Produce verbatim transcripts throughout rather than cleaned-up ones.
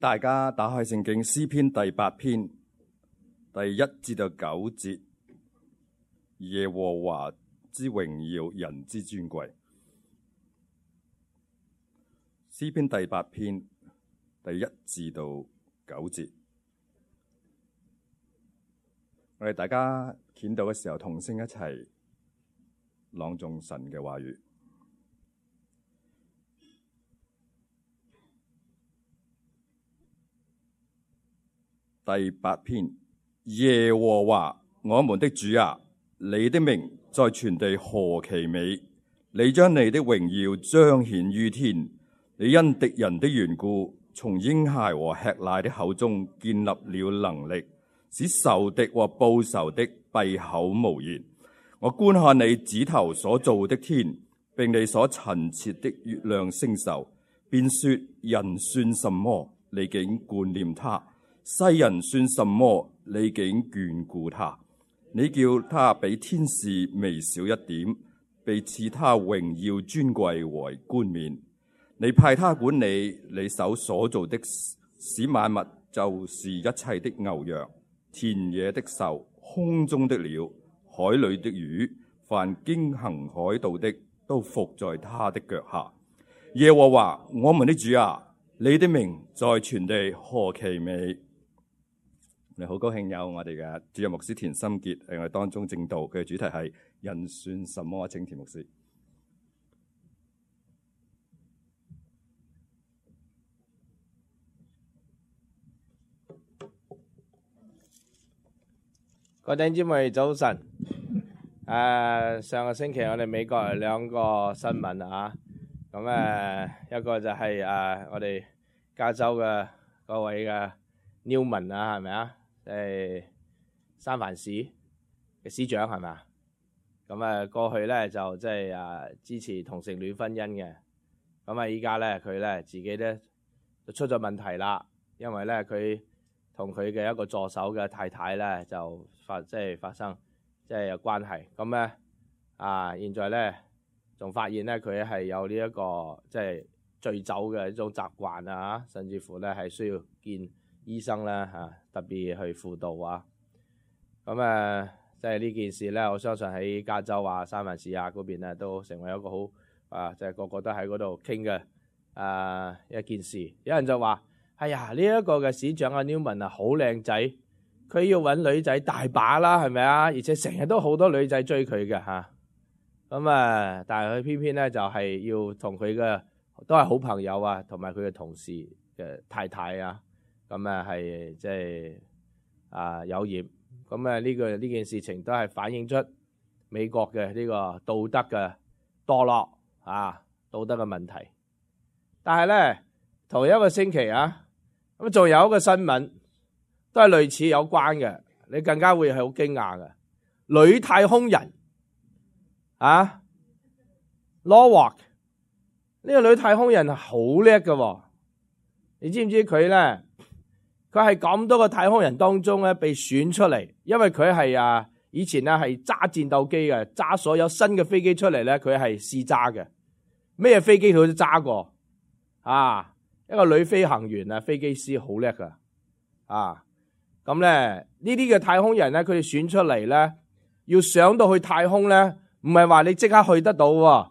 大家打開聖經詩篇第八篇第一至到九節，耶和華之榮耀，人之尊貴。詩篇第八篇第一至到九節，我哋大家見到嘅時候，同聲一齊朗誦神嘅話語。第八篇，耶和華我們的主啊，你的名在全地何其美！你將你的榮耀彰顯於天，你因敵人的緣故，從嬰孩和吃奶的口中建立了能力，使仇敵和報仇的閉口無言。我觀看你指頭所造的天，並你所陳設的月亮星宿，便說：人算什麼？你竟顧念他；世人算什麼？你竟眷顧他。你叫他比天使微小一點，被賜他榮耀尊貴為冠冕。你派他管理你手所造的，使萬物，就是一切的牛羊、田野的獸、空中的鳥、海裏的魚，凡經行海道的，都伏在他的腳下。耶和華我們的主啊，你的名在全地何其美！你好高興有我哋嘅主任牧師田心傑喺我哋當中證道，佢嘅主題係人算什麼？請田牧師。各位弟兄姊妹早晨。誒、呃，上個星期我哋美國有兩個新聞啊，咁誒、呃、一個就係、是、誒、呃、我哋加州嘅嗰位嘅 Newman 啊，係咪啊？即係三藩市嘅市長係咪啊？咁誒過去咧就即係誒支持同性戀婚姻嘅，咁啊依家咧佢咧自己咧就出咗問題啦，因為咧佢同佢嘅一個助手嘅太太咧就發即係發生即係有關係，咁咧啊現在咧仲發現咧佢係有呢一個即係醉酒嘅一種習慣啊，甚至乎咧係需要見醫生咧嚇，特別去輔導啊。咁誒即係呢件事咧，我相信喺加州啊、三藩市啊嗰邊咧都成為一個好啊，即係個個都喺嗰度傾嘅啊一件事。有人就話：哎呀，呢一個嘅市長阿 Newman 啊，好靚仔，佢要揾女仔大把啦，係咪啊？而且成日都好多女仔追佢嘅嚇。咁啊，但係佢偏偏咧就係要同佢嘅都係好朋友啊，同埋佢嘅同事嘅太太啊。咁啊，係即係啊有染，咁啊呢個呢件事情都係反映出美國嘅呢個道德嘅墮落啊，道德嘅問題。但係咧，同一個星期啊，咁仲有一個新聞都係類似有關嘅，你更加會係好驚訝嘅。女太空人啊 Norwalk 呢個女太空人係好叻嘅，你知唔知佢咧？佢係咁多個太空人當中咧被選出嚟，因為佢係啊以前咧係揸戰鬥機嘅，揸所有新嘅飛機出嚟咧，佢係試揸嘅，咩飛機佢都揸過啊！一個女飛行員啊，飛機師好叻噶啊！咁咧呢啲嘅太空人咧，佢哋選出嚟咧，要上到去太空咧，唔係話你即刻去得到喎，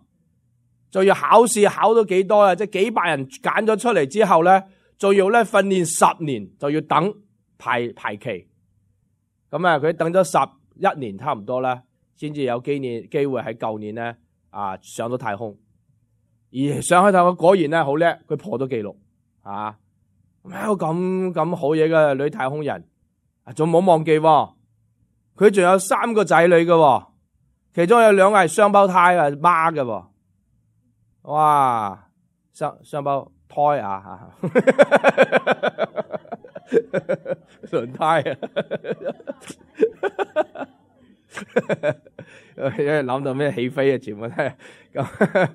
就要考試考到幾多啊？即係幾百人揀咗出嚟之後咧。仲要咧訓練十年，就要等排排期。咁啊，佢等咗十一年差唔多啦，先至有機年機會喺舊年咧啊上到太空。而上去太空果然咧好叻，佢破咗紀錄啊！有咁咁好嘢嘅女太空人，仲冇忘記喎，佢仲有三個仔女嘅，其中有兩個係雙胞胎嘅媽嘅。哇！雙雙胞胎啊，輪胎啊，諗到咩起飛啊，全部都係咁。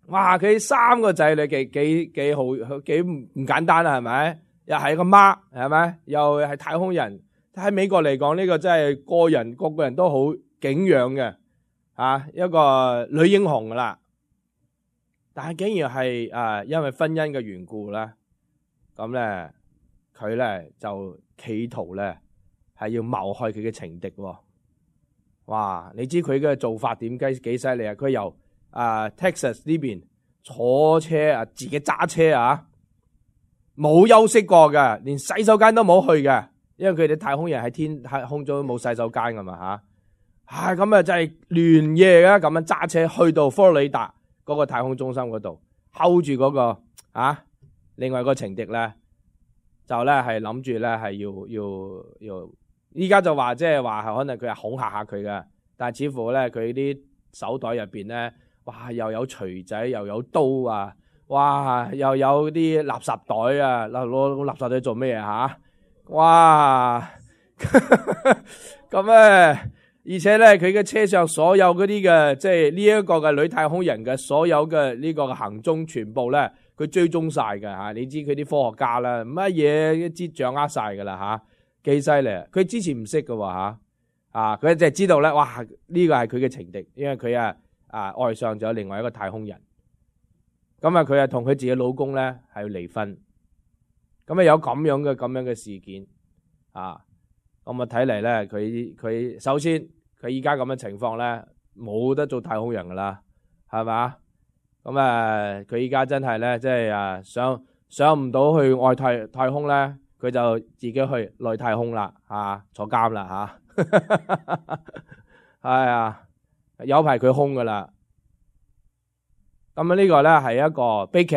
哇！佢三個仔女幾幾幾好，幾唔簡單啊，係咪？又係個媽，係咪？又係太空人。喺美國嚟講，呢個真係個人個個人都好敬仰嘅啊，一個女英雄噶啦。但係竟然係啊，因為婚姻嘅緣故啦，咁咧佢咧就企圖咧係要謀害佢嘅情敵喎。哇！你知佢嘅做法點幾幾犀利啊？佢由啊 Texas 呢邊坐車啊，自己揸車啊，冇休息過嘅，連洗手間都冇去嘅，因為佢哋太空人喺天太空中冇洗手間噶嘛吓。啊咁啊就係連夜嘅咁樣揸車去到佛羅里達嗰個太空中心嗰度 hold 住嗰個啊，另外個情敵咧就咧係諗住咧係要要要。依家就話即係話可能佢係恐嚇下佢嘅，但係似乎咧佢啲手袋入邊咧，哇又有錘仔又有刀啊，哇又有啲垃圾袋啊，攞攞垃圾袋做咩啊吓？哇咁咧，而且咧佢嘅車上所有嗰啲嘅即係呢一個嘅女太空人嘅所有嘅呢個嘅行蹤全部咧，佢追蹤晒嘅吓。你知佢啲科學家啦，乜嘢一知掌握晒噶啦吓。幾犀利！佢之前唔識㗎喎吓，啊佢就係知道咧，哇呢個係佢嘅情敵，因為佢啊啊愛上咗另外一個太空人，咁啊佢啊同佢自己老公咧係要離婚，咁啊有咁樣嘅咁樣嘅事件啊，咁啊睇嚟咧佢佢首先佢依家咁嘅情況咧冇得做太空人噶啦，係嘛？咁啊佢依家真係咧即係啊上上唔到去外太太空咧。佢就自己去內太空啦，啊，坐監啦吓，係啊，有排佢空噶啦。咁啊呢個咧係一個悲劇。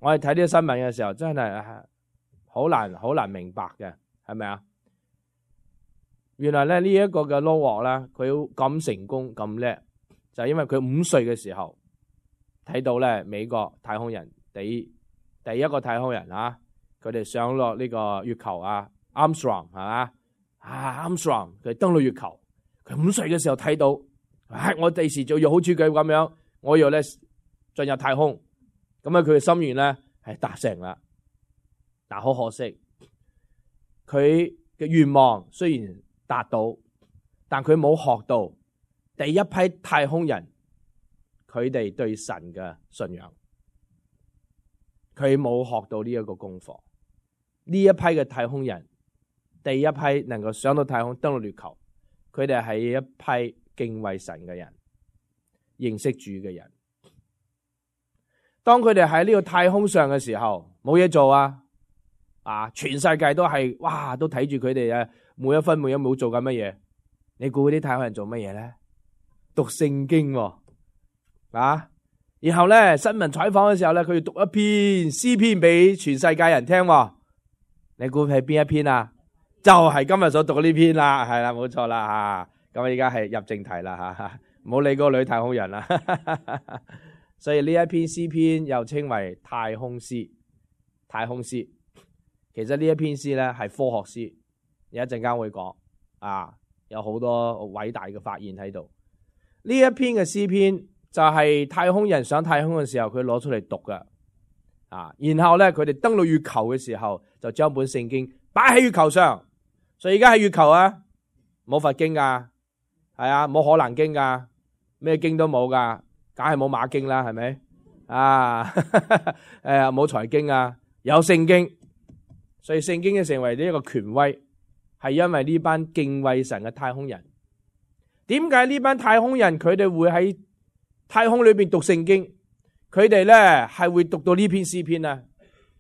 我哋睇呢啲新聞嘅時候，真係好難好難明白嘅，係咪啊？原來咧呢一個嘅 Noah 咧，佢咁成功咁叻，就係因為佢五歲嘅時候睇到咧美國太空人第第一個太空人啊。佢哋上落呢個月球啊 ，Armstrong 係嘛啊 ，Armstrong 佢登到月球，佢五歲嘅時候睇到，唉，我第時就要好似佢咁樣，我要咧進入太空，咁啊佢嘅心願咧係達成啦。但好可惜，佢嘅願望雖然達到，但佢冇學到第一批太空人佢哋對神嘅信仰，佢冇學到呢一個功課。呢一批嘅太空人，第一批能夠上到太空登陸月球，佢哋係一批敬畏神嘅人，認識主嘅人。當佢哋喺呢個太空上嘅時候，冇嘢做啊！啊，全世界都係哇，都睇住佢哋啊，每一分每一秒做緊乜嘢？你估嗰啲太空人做乜嘢咧？讀聖經喎，啊！然後咧新聞採訪嘅時候咧，佢要讀一篇詩篇俾全世界人聽喎。你估係邊一篇啊？就係、是、今日所讀嘅呢篇啦，係啦，冇錯啦吓。咁而家係入正題啦吓，唔好理嗰個女太空人啦。所以呢一篇詩篇又稱為太空詩。太空詩其實呢一篇詩咧係科學詩，有一陣間會講啊，有好多偉大嘅發現喺度。呢一篇嘅詩篇就係太空人上太空嘅時候佢攞出嚟讀㗎。啊，然後咧，佢哋登陸月球嘅時候，就將本聖經擺喺月球上。所以而家喺月球啊，冇佛經噶，係啊，冇可能經噶，咩經都冇噶，梗係冇馬經啦，係咪？啊，誒，冇財經啊，有聖經。所以聖經就成為呢一個權威，係因為呢班敬畏神嘅太空人。點解呢班太空人佢哋會喺太空裏邊讀聖經？佢哋咧係會讀到呢篇詩篇啊，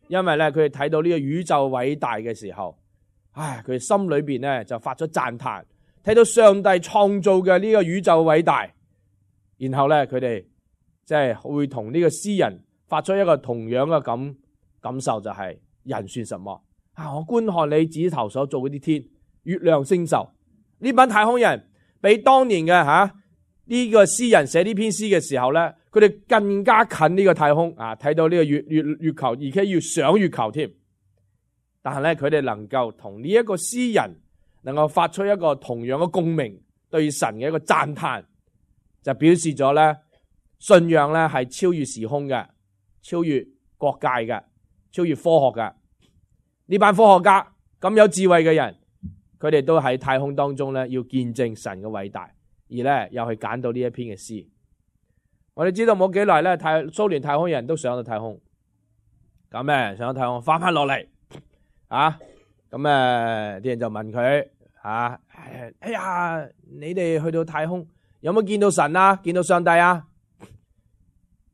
因為咧佢哋睇到呢個宇宙偉大嘅時候，唉，佢哋心裏邊咧就發咗讚嘆，睇到上帝創造嘅呢個宇宙偉大，然後咧佢哋即係會同呢個詩人發出一個同樣嘅感感受，就係人算什麼啊？我觀看你指頭所做嗰啲天、月亮、星宿，呢班太空人比當年嘅吓呢個詩人寫呢篇詩嘅時候咧，佢哋更加近呢個太空啊，睇到呢個月月月球，而且要上月球添。但係咧，佢哋能夠同呢一個詩人能夠發出一個同樣嘅共鳴，對神嘅一個讚嘆，就表示咗咧信仰咧係超越時空嘅，超越國界嘅，超越科學嘅。呢班科學家咁有智慧嘅人，佢哋都喺太空當中咧要見證神嘅偉大，而咧又去揀到呢一篇嘅詩。我哋知道冇幾耐咧，太蘇聯太空人都上到太空，咁咧上咗太空翻翻落嚟啊，咁誒啲人就問佢啊，哎呀，你哋去到太空有冇見到神啊？見到上帝啊？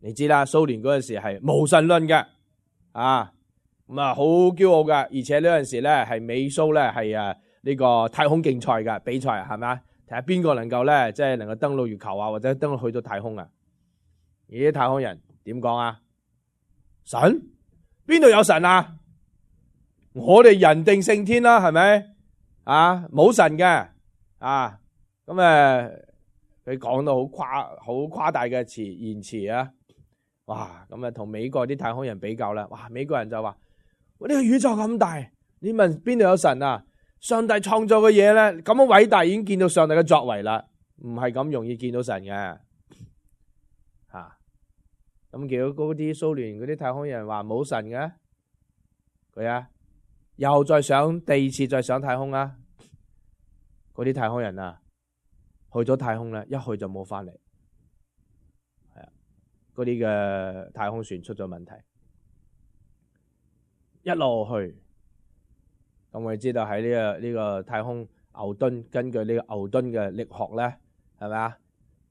你知啦，蘇聯嗰陣時係無神論嘅啊，咁啊好驕傲嘅，而且呢陣時咧係美蘇咧係誒呢個太空競賽嘅比賽，係咪啊？睇下邊個能夠咧即係能夠登陸月球啊，或者登陸去到太空啊？而啲太空人點講啊？神？邊度有神啊？我哋人定勝天啦，係咪啊？冇神嘅啊，咁誒佢講到好誇好誇大嘅詞言辭啊！哇，咁啊同美國啲太空人比較啦，哇，美國人就話：呢個宇宙咁大，你問邊度有神啊？上帝創造嘅嘢咧咁樣偉大，已經見到上帝嘅作為啦，唔係咁容易見到神嘅吓。咁叫嗰啲蘇聯嗰啲太空人話冇神嘅，佢啊又再上第二次再上太空啦。嗰啲太空人啊去咗太空咧，一去就冇翻嚟。係啊，嗰啲嘅太空船出咗問題，一路去。咁我哋知道喺呢個呢個太空牛頓，根據呢個牛頓嘅力學咧，係咪啊？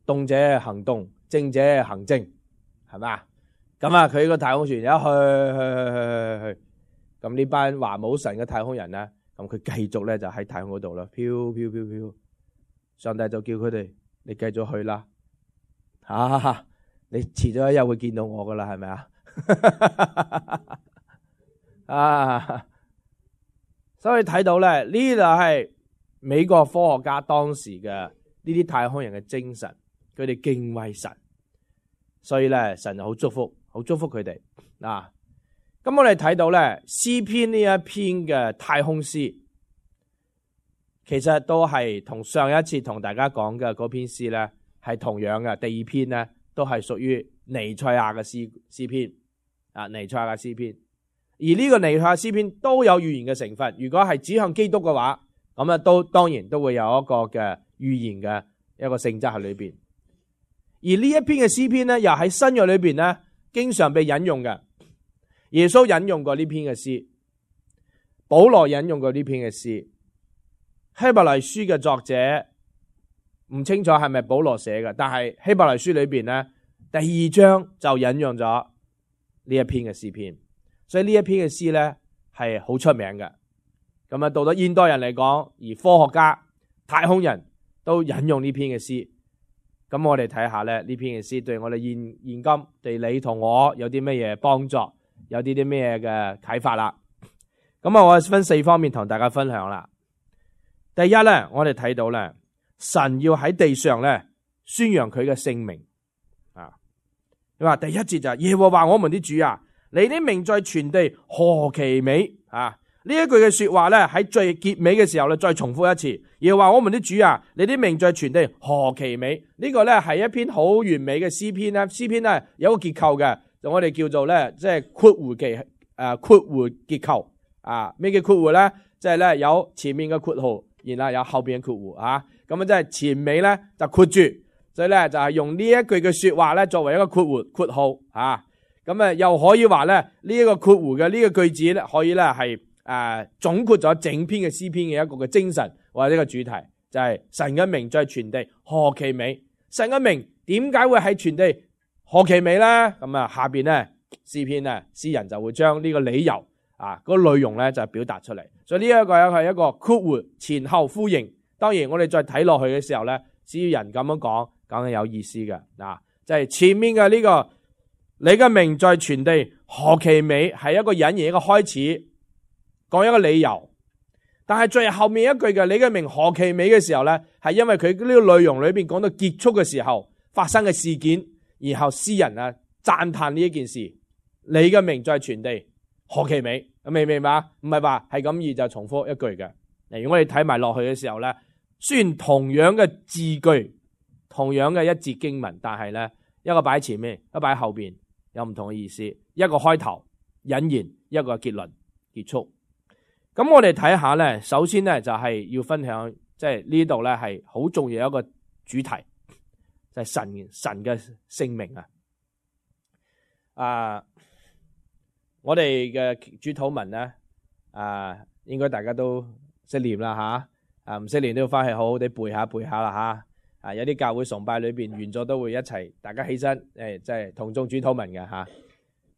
動者行動，靜者行靜，係咪啊？咁啊，佢個太空船一去去去去去去，咁呢班話冇神嘅太空人咧，咁佢繼續咧就喺太空嗰度啦，飄飄飄飄。上帝就叫佢哋，你繼續去啦，啊，你遲咗一日會見到我噶啦，係咪啊？啊！所以睇到咧，呢就係美國科學家當時嘅呢啲太空人嘅精神，佢哋敬畏神，所以咧神就好祝福，好祝福佢哋。嗱，咁我哋睇到咧詩篇呢一篇嘅太空詩，其實都係同上一次同大家講嘅嗰篇詩咧係同樣嘅。第二篇咧都係屬於彌賽亞嘅詩詩篇啊，彌賽亞嘅詩篇。而呢個彌賽亞詩篇都有預言嘅成分，如果係指向基督嘅話，咁啊都當然都會有一個嘅預言嘅一個性質喺裏邊。而呢一篇嘅詩篇咧，又喺新約裏邊咧，經常被引用嘅。耶穌引用過呢篇嘅詩，保羅引用過呢篇嘅詩，希伯來書嘅作者唔清楚係咪保羅寫嘅，但係希伯來書裏邊咧第二章就引用咗呢一篇嘅詩篇。所以呢一篇嘅詩咧係好出名嘅，咁啊到咗現代人嚟講，而科學家、太空人都引用呢篇嘅詩，咁我哋睇下咧呢篇嘅詩對我哋現現今對你同我有啲乜嘢幫助，有啲啲咩嘅啟發啦。咁啊，我分四方面同大家分享啦。第一咧，我哋睇到咧，神要喺地上咧宣揚佢嘅聖名啊。你話第一節就係耶和華我們啲主啊，你的名在全地何其美啊！呢一句嘅說話咧，喺最結尾嘅時候咧，再重複一次，要話我們啲主啊，你的名在全地何其美。呢個咧係一篇好完美嘅詩篇咧，詩篇咧有一個結構嘅，就我哋叫做咧即係括弧記誒括弧結構啊。咩叫括弧咧？即係咧有前面嘅括號，然後有後邊嘅括弧啊。咁啊即係前尾咧就括住，所以咧就係用呢一句嘅說話咧作為一個括弧括號啊。咁啊，又可以話咧，呢一個括弧嘅呢個句子咧，可以咧係誒總括咗整篇嘅詩篇嘅一個嘅精神或者呢個主題，就係神嘅名在全地何其美。神嘅名點解會喺全地何其美咧？咁啊，下邊咧詩篇咧詩人就會將呢個理由啊嗰個內容咧就表達出嚟。所以呢一個係一個括弧前後呼應。當然我哋再睇落去嘅時候咧，詩人咁樣講，梗係有意思嘅嗱，就係前面嘅呢個。你嘅名在全地何其美，係一個引言一個開始，講一個理由。但係最後面一句嘅你嘅名何其美嘅時候咧，係因為佢呢個內容裏邊講到結束嘅時候發生嘅事件，然後詩人啊讚嘆呢一件事。你嘅名在全地何其美，明唔明白？唔係話係咁易就重複一句嘅。如果我哋睇埋落去嘅時候咧，雖然同樣嘅字句，同樣嘅一節經文，但係咧一個擺前面，一個擺後邊。有唔同嘅意思，一個開頭引言，一個結論結束。咁我哋睇下咧，首先咧就係要分享，即係呢度咧係好重要一個主題，就係神神嘅聖名啊。啊，我哋嘅主禱文咧，啊，應該大家都識念啦吓，啊唔識念都要翻去好好地背下背下啦吓。啊，有啲教會崇拜裏邊完咗都會一齊，大家起身，誒，即係同眾主禱文嘅吓。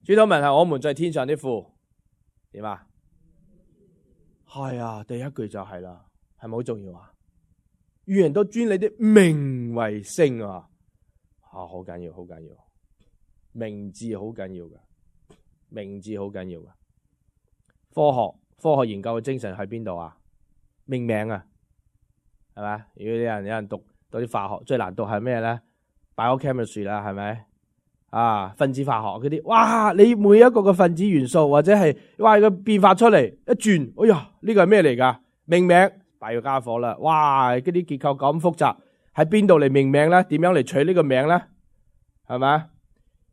主禱文係我們在天上的父，點啊？係啊，第一句就係啦，係咪好重要啊？願人都尊你的名為聖啊！啊，好緊要，好緊要，名字好緊要噶，名字好緊要噶。科學科學研究嘅精神喺邊度啊？命名啊，係咪？如果有人有人讀讀啲化學，最難讀係咩咧？biochemistry 啦，係咪？啊，分子化學嗰啲，哇！你每一個嘅分子元素或者係哇個變化出嚟一轉，哎呀，呢個係咩嚟噶？命名，大要家伙啦！哇，嗰啲結構咁複雜，喺邊度嚟命名咧？點樣嚟取呢個名咧？係咪？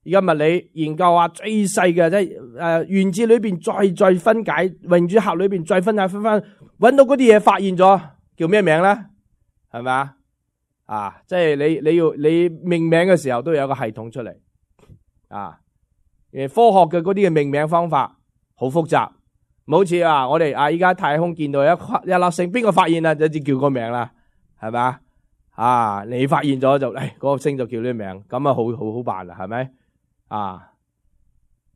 而家物理研究啊，最細嘅即係誒原子裏邊再再分解，榮主核裏邊再分解分翻，搵到嗰啲嘢發現咗，叫咩名咧？係咪啊？啊，即係你你要你命名嘅時候都有個系統出嚟。啊！誒，科學嘅嗰啲嘅命名方法好複雜，唔好似啊，我哋啊依家太空見到一一粒星，邊個發現啊？就只叫個名啦，係咪啊？啊，你發現咗就誒，嗰、哎嗰個星就叫呢個名，咁啊好好好辦啦，係咪？啊，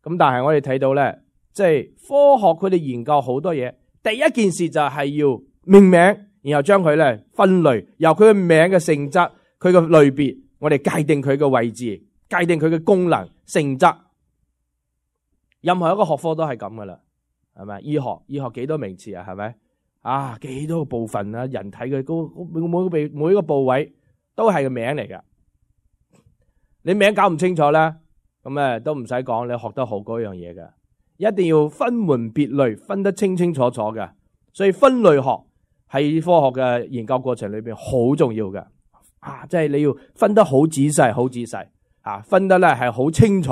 咁但係我哋睇到咧，即係科學佢哋研究好多嘢，第一件事就係要命名，然後將佢咧分類，由佢嘅名嘅性質，佢嘅類別，我哋界定佢嘅位置。界定佢嘅功能性質，任何一個學科都係咁噶啦，係咪？醫學醫學幾多名詞啊？係咪啊？幾多個部分啊？人體嘅嗰每每個每每一個部位都係個名嚟噶。你名搞唔清楚咧，咁誒都唔使講，你學得好嗰樣嘢嘅，一定要分門別類，分得清清楚楚嘅。所以分類學喺科學嘅研究過程裏邊好重要嘅。啊，即係你要分得好仔細，好仔細。啊，分得咧係好清楚，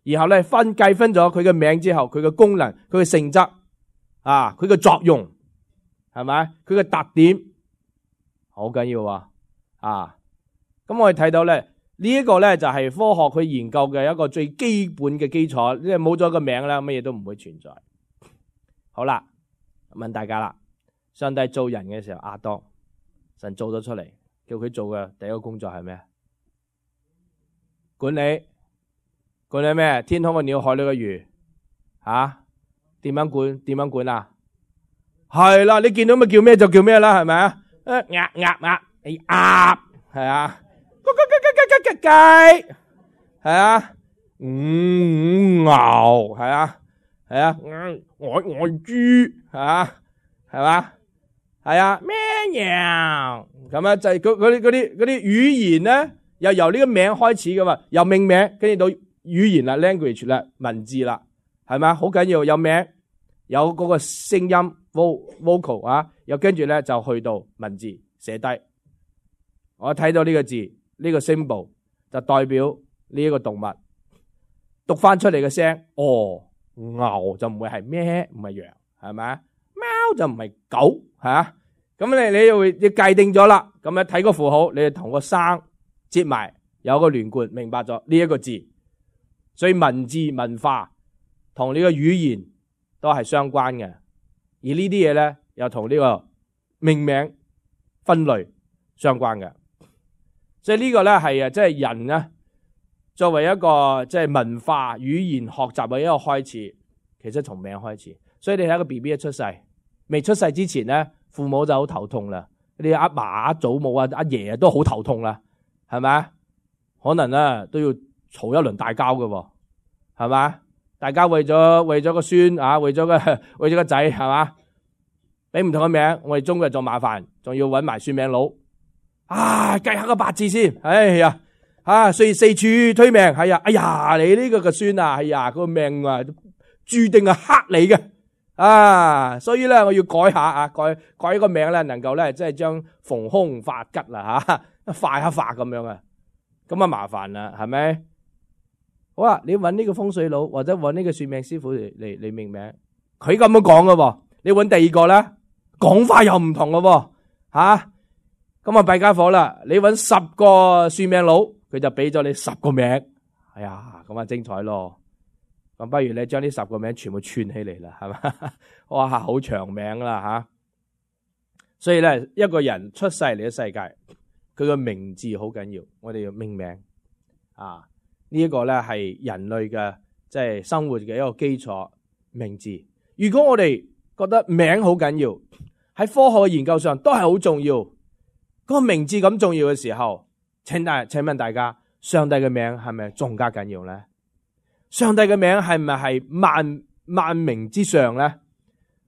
然後咧分計分咗佢嘅名之後，佢嘅功能、佢嘅性質，啊，佢嘅作用，係咪？佢嘅特點好緊要啊！啊，咁我哋睇到咧呢一個咧就係科學佢研究嘅一個最基本嘅基礎，即係冇咗個名咧，乜嘢都唔會存在。好啦，問大家啦，上帝做人嘅時候，亞當神做咗出嚟，叫佢做嘅第一個工作係咩？管理，管理咩？天空嘅鳥，海裏嘅魚，吓？點樣管？點樣管啊？係啦，你見到咪叫咩就叫咩啦，係咪啊？誒，鴨鴨鴨，你鴨係啊？咕咕咕咕咕咕雞係啊？嗯，牛係啊？係啊？嗯，我我豬係啊？係嘛？係啊？咩羊咁啊？就係嗰嗰啲嗰啲嗰啲語言咧。又由呢個名開始噶嘛，由命名跟住到語言啦 ，language 啦，文字啦，係咪？好緊要，有名，有嗰個聲音 vocal 啊，又跟住咧就去到文字寫低。我睇到呢個字，呢個 symbol 就代表呢一個動物，讀翻出嚟嘅聲，哦，牛就唔會係咩，唔係羊，係咪？貓就唔係狗，係啊。咁你你又你界定咗啦，咁樣睇個符號，你就同個生。接埋有個連貫，明白咗呢一個字，所以文字文化同呢個語言都係相關嘅，而呢啲嘢咧又同呢個命名分類相關嘅，所以呢個咧係啊，即係人咧作為一個即係文化語言學習嘅一個開始，其實從名開始。所以你睇個 B B 一出世，未出世之前咧，父母就好頭痛啦，你阿嫲阿祖母啊阿爺都好頭痛啦。係咪？可能咧都要嘈一輪大交嘅，係咪？大家為咗為咗個孫啊，為咗個為咗個仔，係嘛？俾唔同嘅名，我哋中國人仲麻煩，仲要搵埋算命佬啊，計下個八字先。哎呀，啊，所以四處推命，係啊，哎呀，你呢個個孫啊，哎呀，個命啊，注定係克你嘅啊，所以咧我要改下啊，改改個名咧，能夠咧即係將逢凶化吉啦吓。化一化咁樣啊，咁啊麻煩啦，係咪？好啦，你揾呢個風水佬或者揾呢個算命師傅嚟嚟嚟命名，佢咁樣講噶，你揾第二個咧，講法又唔同噶，吓，咁啊弊家伙啦！你揾十個算命佬，佢就俾咗你十個名，哎呀，咁啊精彩咯！咁不如你將呢十個名全部串起嚟啦，係嘛？哇，好長名啦吓！所以咧，一個人出世嚟嘅世界，佢個名字好緊要，我哋要命名啊！呢一個咧係人類嘅即係生活嘅一個基礎名字。如果我哋覺得名好緊要，喺科學嘅研究上都係好重要。嗰個名字咁重要嘅時候，請大請問大家，上帝嘅名係咪仲加緊要咧？上帝嘅名係咪係萬萬名之上咧？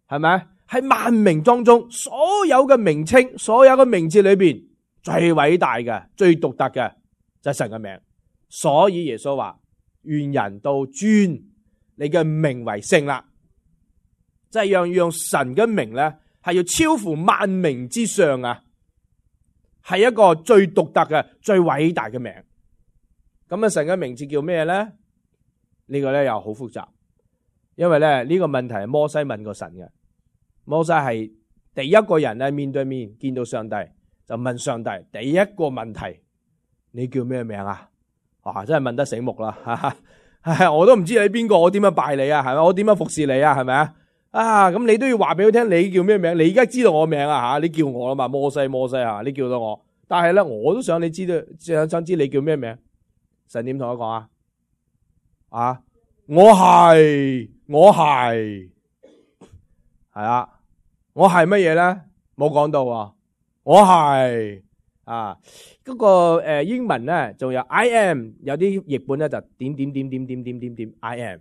係咪喺萬名當中，所有嘅名稱，所有嘅名字裏邊最偉大嘅、最獨特嘅就係神嘅名。所以耶穌話：願人都尊你嘅名為聖啦，即係讓讓神嘅名咧係要超乎萬名之上啊！係一個最獨特嘅、最偉大嘅名。咁啊，神嘅名字叫咩咧？呢個咧又好複雜，因為咧呢個問題係摩西問過神嘅。摩西係第一個人咧面對面見到上帝，就問上帝第一個問題：你叫咩名啊？哇，真係問得醒目啦！我都唔知你邊個，我點樣拜你啊？係咪？我點樣服侍你啊？係咪啊？啊，咁你都要話俾佢聽，你叫咩名？你而家知道我名啊？吓，你叫我啦嘛？摩西，摩西啊，你叫到我。但係咧，我都想你知道，想想知你叫咩名？神點同我講啊？啊，我係，我係，係啊，我係乜嘢咧？冇講到啊，我係啊，嗰個誒英文咧，仲有 I am， 有啲譯本咧就點點點點點點點點 I am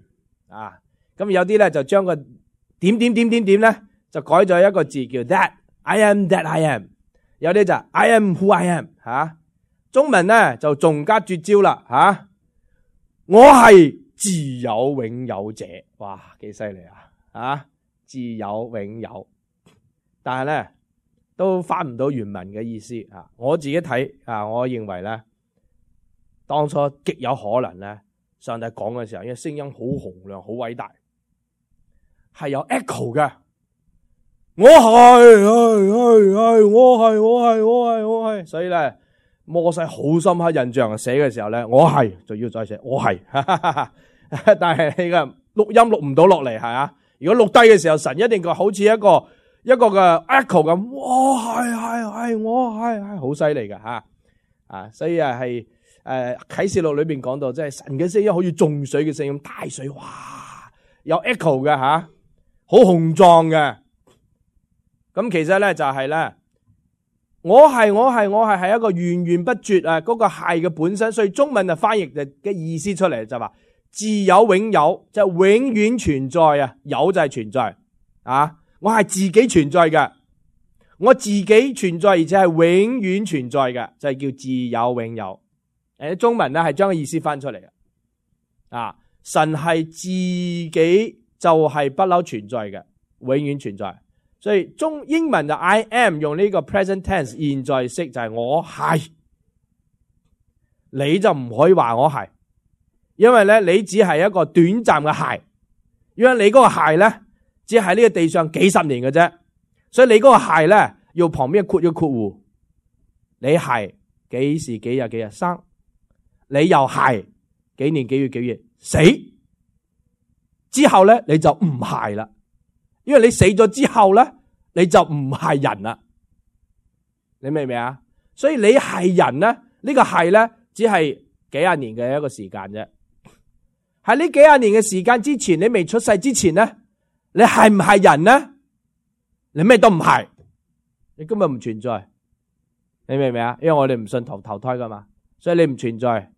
啊，咁有啲咧就將個點點點點點咧就改咗一個字叫 that I am that I am， 有啲就 I am who I am 吓，中文咧就仲加絕招啦吓，我係自有永有者，哇，幾犀利啊！啊，自有永有，但係咧都翻唔到原文嘅意思啊！我自己睇啊，我認為咧，當初極有可能咧，上帝講嘅時候，因為聲音好洪亮、好偉大，係有 echo 嘅。我係，係係係，我係，我係，我係，我係，所以咧，摩西好深刻印象，寫嘅時候咧，我係就要再寫，我係。但係你嘅錄音錄唔到落嚟，係啊！如果錄低嘅時候，神一定個好似一個一個嘅 echo 咁，我係係係，我係係，好犀利嘅吓啊！所以啊係誒啟示錄裏邊講到，即係神嘅聲音好似眾水嘅聲音，大水哇，有 echo 嘅吓，好雄壯嘅。咁其實咧就係咧，我係我係我係係一個源源不絕啊！嗰個係嘅本身，所以中文就翻譯嘅嘅意思出嚟就話。自有永有，就永遠存在啊！有就係存在啊！我係自己存在嘅，我自己存在，而且係永遠存在嘅，就係叫自有永有。誒，中文咧係將個意思翻出嚟嘅啊！神係自己就係不嬲存在嘅，永遠存在。所以中英文就 I am 用呢個 present tense 現在式就係我係，你就唔可以話我係。因為咧，你只係一個短暫嘅係，因為你嗰個係咧，只係呢個地上幾十年嘅啫，所以你嗰個係咧，要旁邊括一括弧，你係幾時幾日幾日生，你又係幾年幾月幾月死，之後咧你就唔係啦，因為你死咗之後咧，你就唔係人啦，你明唔明啊？所以你係人咧，呢個係咧，只係幾廿年嘅一個時間啫。喺呢幾廿年嘅時間之前，你未出世之前咧，你係唔係人咧？你咩都唔係，你根本唔存在。你明唔明啊？因為我哋唔信投投胎噶嘛，所以你唔存在。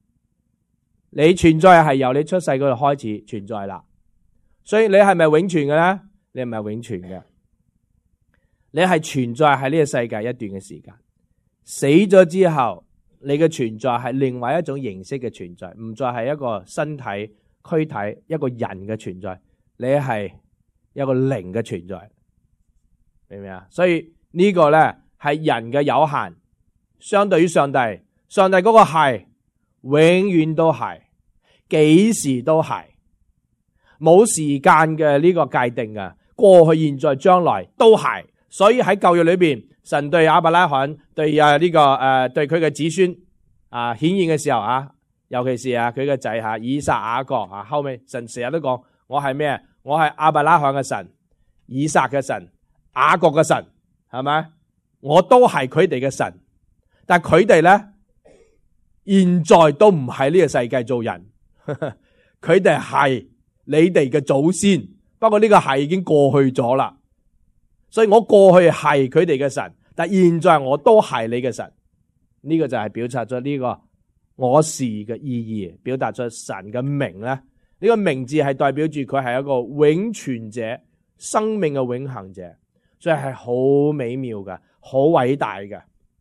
你存在係由你出世嗰度開始存在啦。所以你係咪永存嘅咧？你唔係永存嘅，你係存在喺呢個世界一段嘅時間。死咗之後，你嘅存在係另外一種形式嘅存在，唔再係一個身體。軀體一個人嘅存在，你係一個靈嘅存在，明唔明啊？所以呢個咧係人嘅有限，相對於上帝，上帝嗰個係永遠都係，幾時都係，冇時間嘅呢個界定嘅，過去、現在、將來都係。所以喺舊約裏邊，神對亞伯拉罕、對啊、這、呢個誒、呃、對佢嘅子孫啊顯現嘅時候啊。尤其是啊佢嘅仔吓以撒雅各啊，後尾神成日都講我係咩？我係亞伯拉罕嘅神、以撒嘅神、雅各嘅神，係咪？我都係佢哋嘅神，但係佢哋咧，現在都唔喺呢個世界做人，佢哋係你哋嘅祖先，不過呢個係已經過去咗啦。所以我過去係佢哋嘅神，但係現在我都係你嘅神。呢個就係表達咗呢個我是嘅意義，表達咗神嘅名咧。呢個名字係代表住佢係一個永存者、生命嘅永恆者，所以係好美妙嘅。好偉大嘅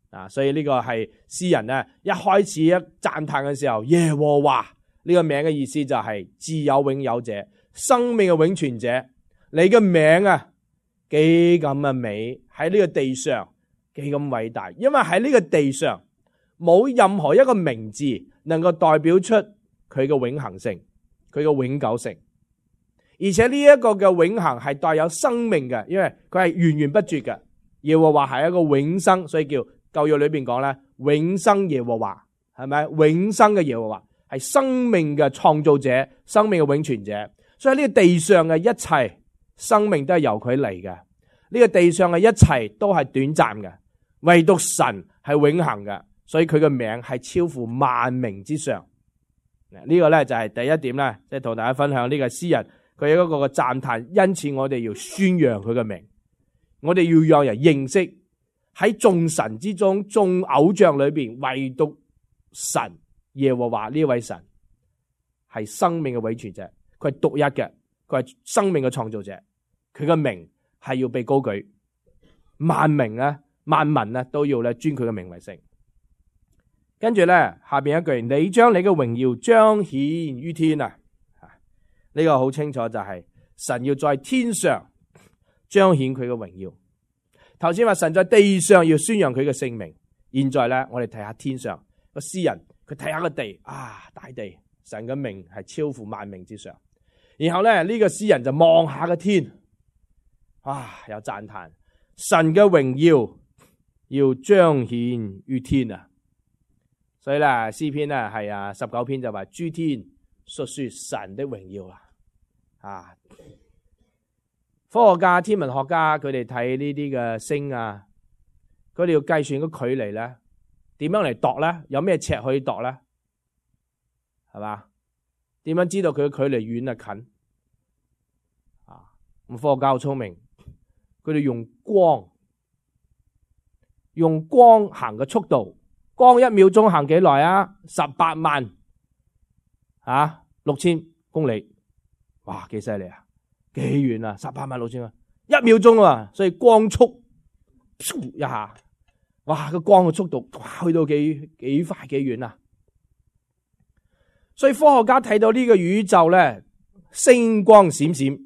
啊！所以呢個係詩人咧一開始一讚嘆嘅時候，耶和華呢個名嘅意思就係自有永有者、生命嘅永存者。你嘅名啊，幾咁嘅美，喺呢個地上幾咁偉大，因為喺呢個地上冇任何一個名字能夠代表出佢嘅永恆性、佢嘅永久性，而且呢一個嘅永恆係帶有生命嘅，因為佢係源源不絕嘅。耶和華係一個永生，所以叫舊約裏邊講咧，永生耶和華係咪？永生嘅耶和華係生命嘅創造者，生命嘅永存者。所以呢個地上嘅一切生命都係由佢嚟嘅，呢個地上嘅一切都係短暫嘅，唯獨神係永恆嘅，所以佢嘅名係超乎萬名之上。呢個咧就係第一點咧，即係同大家分享呢個詩人佢有一個嘅讚嘆，因此我哋要宣揚佢嘅名。我哋要讓人認識喺眾神之中、眾偶像裏邊，唯獨神耶和華呢位神係生命嘅永存者，佢係獨一嘅，佢係生命嘅創造者，佢嘅名係要被高舉，萬名咧、萬民咧都要咧尊佢嘅名為聖。跟住咧下邊一句，你將你嘅榮耀彰顯於天啊！呢個好清楚就係神要在天上彰顯佢嘅榮耀。頭先話神在地上要宣揚佢嘅聖名，現在咧我哋睇下天上個詩人，佢睇下個地啊，大地，神嘅名係超乎萬名之上。然後咧呢個詩人就望下個天，啊，有讚嘆神嘅榮耀要彰顯於天啊！所以咧詩篇咧係啊十九篇就話諸天述說神的榮耀啦，啊！科學家、天文學家佢哋睇呢啲嘅星啊，佢哋要計算個距離咧，點樣嚟度咧？有咩尺可以度咧？係嘛？點樣知道佢嘅距離遠啊近？啊！咁科學家好聰明，佢哋用光，用光行嘅速度，光一秒鐘行幾耐啊？十八萬啊六千公里，哇！幾犀利啊！幾遠啊？十八萬六千啊！一秒鐘啊，所以光速一下，哇！個光嘅速度哇去到幾幾快幾遠啊！所以科學家睇到呢個宇宙咧，星光閃閃，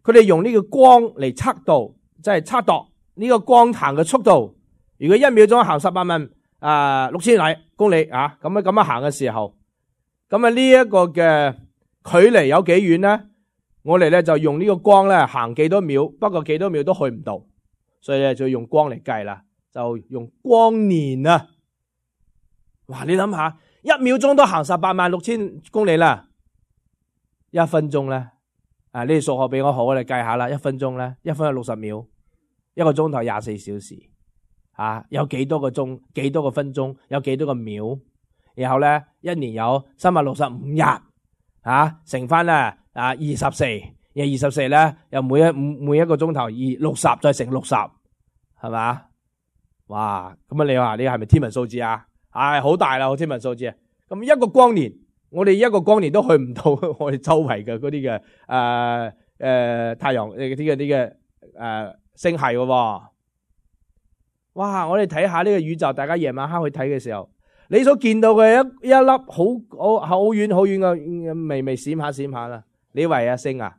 佢哋用呢個光嚟測度，即係測度呢個光行嘅速度。如果一秒鐘行十八萬啊六千里公里啊，咁樣咁樣行嘅時候，咁啊呢一個嘅距離有幾遠咧？我哋咧就用呢個光咧行幾多秒，不過幾多秒都去唔到，所以咧就用光嚟計啦，就用光年啊！哇，你諗下，一秒鐘都行十八萬六千公里啦，一分鐘咧啊！呢啲數學比我好，我哋計下啦，一分鐘咧，一分係六十秒，一個鐘頭廿四小時啊，有幾多個鐘，幾多個分鐘，有幾多個秒，然後咧一年有三百六十五日啊，乘翻咧。啊，二十四，而二十四咧，又每一每一個鐘頭二六十，再乘六十，係嘛？哇！咁啊，你話你係咪天文數字啊？唉，好大啦，天文數字啊！咁一個光年，我哋一個光年都去唔到我哋周圍嘅嗰啲嘅誒誒太陽誒啲嘅啲嘅誒星系嘅。哇！我哋睇下呢個宇宙，大家夜晚黑去睇嘅時候，你所見到嘅一一粒好好好遠好遠嘅微微閃下閃下啦。你以為啊星啊，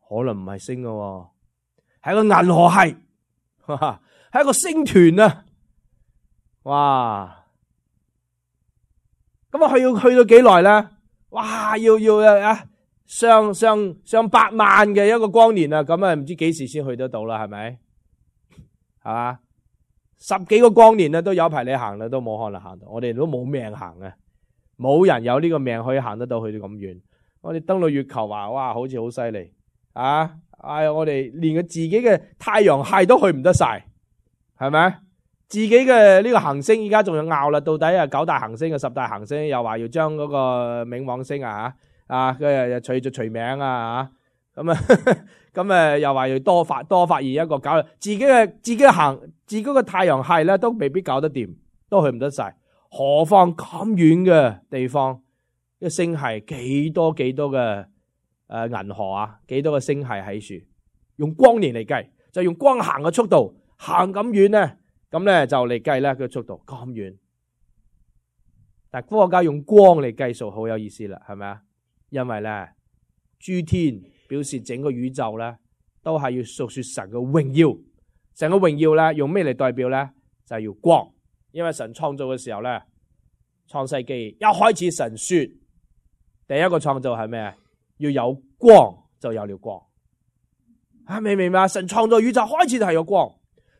可能唔係星嘅，係個銀河系，係一個星團啊！哇！咁啊去要去到幾耐咧？哇！要要啊上上上百萬嘅一個光年啊！咁啊唔知幾時先去得到啦？係咪？係嘛？十幾個光年啊，都有排你行啦，都冇可能行到，我哋都冇命行啊！冇人有呢個命可以行得到去到咁遠。我哋登到月球話，哇，好似好犀利啊！哎，我哋連個自己嘅太陽系都去唔得晒，係咪？自己嘅呢個行星而家仲要拗啦，到底啊九大行星嘅十大行星又話要將嗰個冥王星啊吓啊，佢又取咗除名啊吓，咁啊咁啊又話要多發多發現一個搞自己嘅自己嘅行自己嘅太陽系咧都未必搞得掂，都去唔得晒，何況咁遠嘅地方，一星系幾多幾多嘅誒銀河啊，幾多個星系喺處，用光年嚟計，就用光行嘅速度行咁遠咧。咁咧就嚟計咧個速度咁遠，但係科學家用光嚟計數好有意思啦，係咪啊？因為咧諸天表示整個宇宙咧都係要述說神嘅榮耀，神嘅榮耀咧用咩嚟代表咧？就係要光，因為神創造嘅時候咧，創世記一開始神說第一個創造係咩？要有光就有了光，啊明唔明啊？神創造宇宙開始就係有光。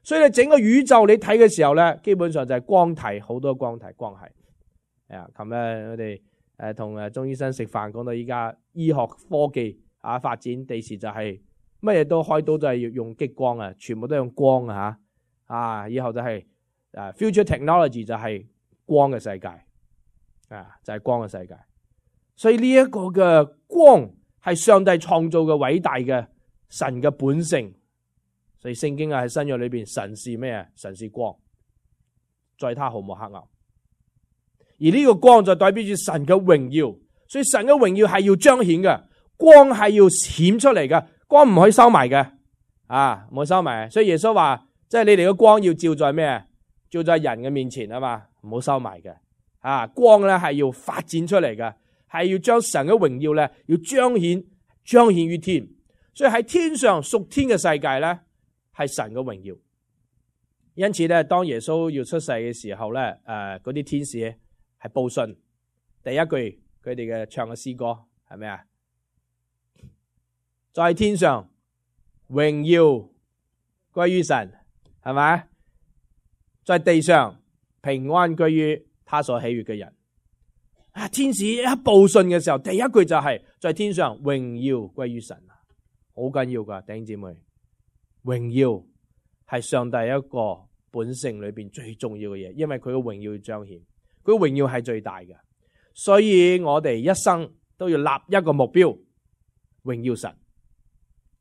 所以你整個宇宙你睇嘅時候咧，基本上就係光體，好多光體光系。啊，琴日我哋誒同誒鍾醫生食飯，講到依家醫學科技啊發展，第時就係乜嘢都開刀都係要用激光啊，全部都用光啊吓啊！以後就係誒 future technology 就係光嘅世界啊，就係光嘅世界。所以呢一個嘅光係上帝創造嘅偉大嘅神嘅本性。所以聖經啊喺新約裏邊，神是咩啊？神是光，在他毫無黑暗。而呢個光就代表住神嘅榮耀，所以神嘅榮耀係要彰顯嘅，光係要顯出嚟嘅，光唔可以收埋嘅，啊，唔可以收埋。所以耶穌話，即係你哋嘅光要照在咩？照在人嘅面前啊嘛，唔好收埋嘅。啊，光咧係要發展出嚟嘅，係要將神嘅榮耀咧要彰顯，彰顯於天。所以喺天上屬天嘅世界咧，係神嘅榮耀，因此咧，當耶穌要出世嘅時候咧，誒，嗰啲天使係報信，第一句佢哋嘅唱嘅詩歌係咩啊？在天上榮耀歸於神，係咪？在地上平安歸於他所喜悅嘅人。啊，天使一報信嘅時候，第一句就係在天上榮耀歸於神啊，好緊要噶，弟兄姊妹。榮耀係上帝一個本性裏邊最重要嘅嘢，因為佢嘅榮耀要彰顯，佢嘅榮耀係最大嘅，所以我哋一生都要立一個目標，榮耀神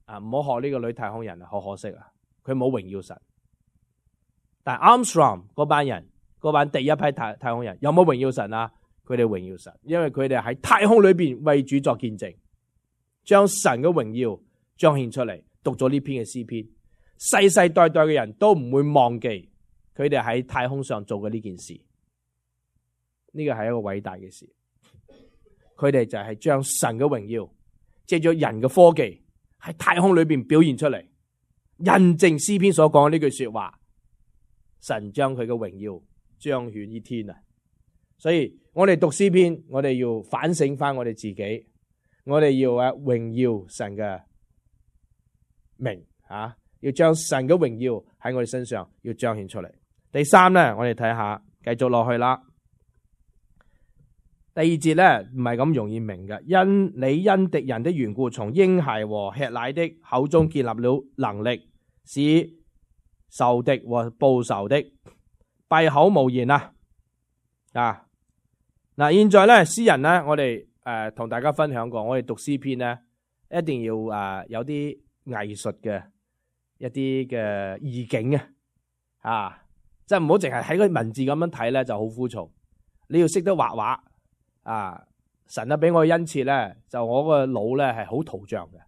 啊！唔好學呢個女太空人啊，好可惜啊，佢冇榮耀神。但係 Armstrong 嗰班人，嗰班第一批太太空人有冇榮耀神啊？佢哋榮耀神，因為佢哋喺太空裏邊為主作見證，將神嘅榮耀彰顯出嚟。讀咗呢篇嘅詩篇，世世代代嘅人都唔會忘記佢哋喺太空上做嘅呢件事。呢個係一個偉大嘅事。佢哋就係將神嘅榮耀借咗人嘅科技喺太空裏邊表現出嚟，印證詩篇所講嘅呢句說話。神將佢嘅榮耀彰顯於天啊！所以我哋讀詩篇，我哋要反省翻我哋自己，我哋要啊榮耀神嘅名啊，要將神嘅榮耀喺我哋身上要彰顯出嚟。第三咧，我哋睇下，繼續落去啦。第二節咧唔係咁容易明嘅，因你因敵人的緣故，從嬰孩和吃奶的口中建立了能力，使仇敵和報仇的閉口無言啊！啊嗱，現在咧詩人咧，我哋誒同大家分享過，我哋讀詩篇咧一定要誒、呃、有啲藝術嘅一啲嘅意境啊，啊，即係唔好淨係喺個文字咁樣睇咧就好枯燥，你要識得畫畫啊！神啊俾我恩賜咧，就我個腦咧係好圖像嘅，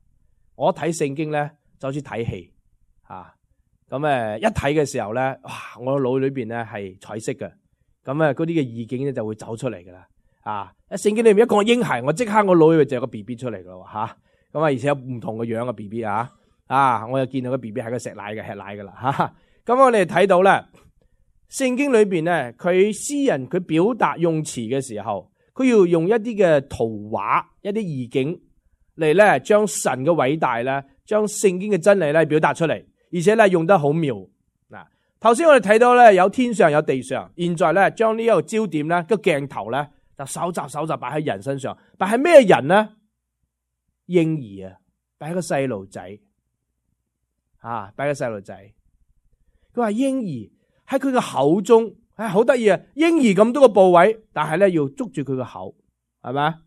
我睇聖經咧就好似睇戲啊！咁誒一睇嘅時候咧，哇！我個腦裏邊咧係彩色嘅，咁誒嗰啲嘅意境咧就會走出嚟噶啦啊！喺聖經裏面一講嬰孩，我即刻我腦裏邊就有個 B B 出嚟噶啦吓，咁啊而且有唔同嘅樣嘅 B B 啊啊！我又見到個 B B 係個食奶嘅吃奶噶啦吓，咁我哋睇到咧聖經裏邊咧，佢詩人佢表達用詞嘅時候，佢要用一啲嘅圖畫、一啲意境嚟咧，將神嘅偉大咧，將聖經嘅真理咧表達出嚟，而且咧用得好妙嗱。頭先我哋睇到咧有天上有地上，現在咧將呢一個焦點咧個鏡頭咧就搜集搜集擺喺人身上，擺喺咩人呢？嬰兒啊，擺喺個細路仔啊，擺喺個細路仔。佢話嬰兒喺佢嘅口中，唉，好得意啊！嬰兒咁多個部位，但係咧要捉住佢個口，係咪？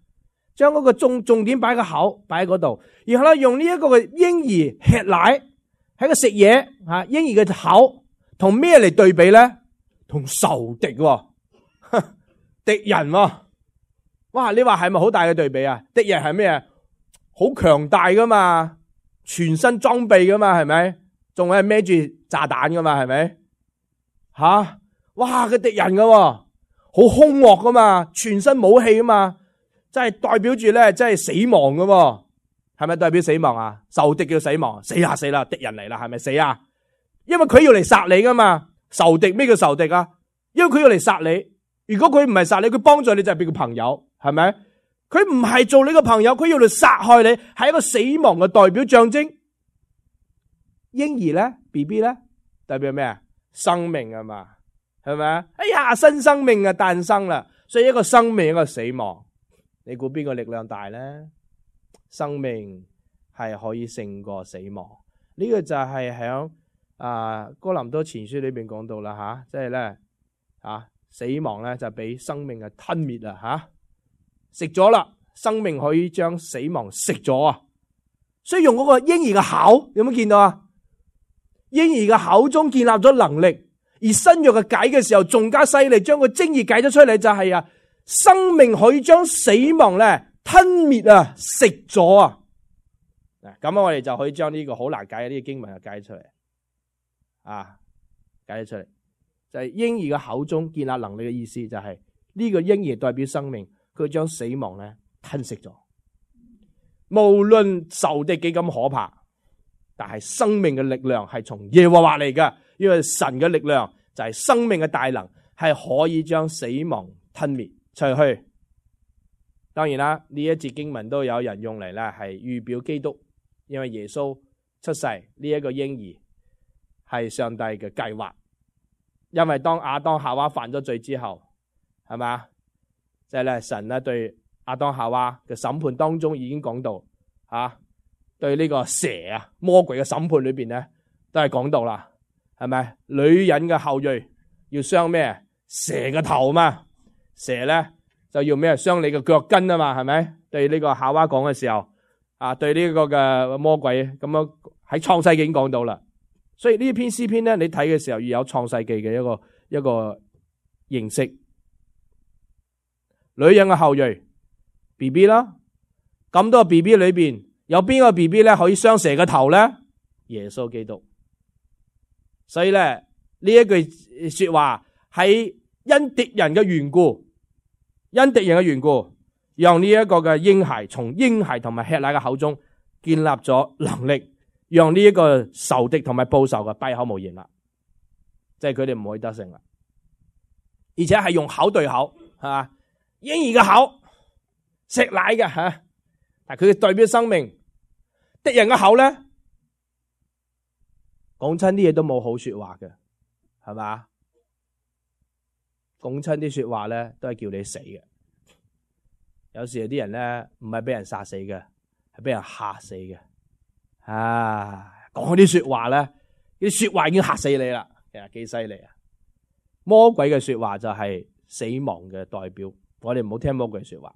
將嗰個重重點擺個口，擺喺嗰度，然後咧用呢一個嘅嬰兒吃奶，喺個食嘢吓，嬰兒嘅口同咩嚟對比咧？同仇敵、哦，敵人、哦，哇！你話係咪好大嘅對比啊？敵人係咩啊？好強大噶嘛，全身裝備噶嘛，係咪？仲係孭住炸彈噶嘛，係咪？吓、啊，哇！個敵人噶、哦，好兇惡噶嘛，全身武器噶嘛。即係代表住咧，即係死亡噶喎，係咪代表死亡啊？仇敵叫死亡，死啦死啦，敵人嚟啦，係咪死啊？因為佢要嚟殺你噶嘛，仇敵咩叫仇敵啊？因為佢要嚟殺你，如果佢唔係殺你，佢幫助你就係變個朋友，係咪？佢唔係做你個朋友，佢要嚟殺害你，係一個死亡嘅代表象徵。嬰兒咧 ，B B 咧，代表咩啊？生命啊嘛，係咪啊？哎呀，新生命啊誕生啦，所以一個生命一個死亡。你估邊個力量大咧？生命係可以勝過死亡，呢、這個就係響啊哥林多前書裏邊講到啦吓，即係咧啊死亡咧就俾生命嘅吞滅啦吓，食咗啦，生命可以將死亡食咗啊！所以用嗰個嬰兒嘅口，有冇見到啊？嬰兒嘅口中建立咗能力，而新約嘅解嘅時候仲加犀利，將個精義解咗出嚟就係、是、啊。生命可以將死亡咧吞滅啊，食咗啊！嗱，咁我哋就可以將呢個好難解嘅呢個經文就解出嚟啊，解咗出嚟就係、是、嬰兒嘅口中建立能力嘅意思，就係呢個嬰兒代表生命，佢將死亡咧吞食咗。無論仇敵幾咁可怕，但係生命嘅力量係從耶和華嚟㗎，因為神嘅力量就係生命嘅大能，係可以將死亡吞滅。除去，當然啦，呢一節經文都有人用嚟咧，係預表基督，因為耶穌出世呢一個嬰兒係上帝嘅計劃。因為當亞當夏娃犯咗罪之後，係嘛，即係咧神咧對亞當夏娃嘅審判當中已經講到，吓、啊、對呢個蛇啊魔鬼嘅審判裏邊咧都係講到啦，係咪？女人嘅後裔要傷咩？蛇嘅頭嘛。蛇咧就要咩？傷你嘅腳跟啊嘛，係咪？對呢個夏娃講嘅時候，啊，對呢個嘅魔鬼咁樣喺創世記已經講到啦。所以呢篇詩篇咧，你睇嘅時候要有創世記嘅一個一個認識。女人嘅後裔 B B 啦，咁多 B B 裏邊有邊個 B B 咧可以傷蛇嘅頭咧？耶穌基督。所以咧呢一句說話係因敵人嘅緣故。因敵人嘅緣故，讓呢一個嘅嬰孩從嬰孩同埋吃奶嘅口中建立咗能力，讓呢一個仇敵同埋報仇嘅閉口無言啦，即係佢哋唔可以得勝啦。而且係用口對口，係嘛？嬰兒嘅口食奶嘅吓，但係佢代表生命。敵人嘅口咧，講親啲嘢都冇好說話嘅，係嘛？講親啲說話咧，都係叫你死嘅。有時有啲人咧，唔係俾人殺死嘅，係俾人嚇死嘅。啊，講啲說話咧，啲說話已經嚇死你啦，其實幾犀利啊！魔鬼嘅說話就係死亡嘅代表，我哋唔好聽魔鬼嘅說話，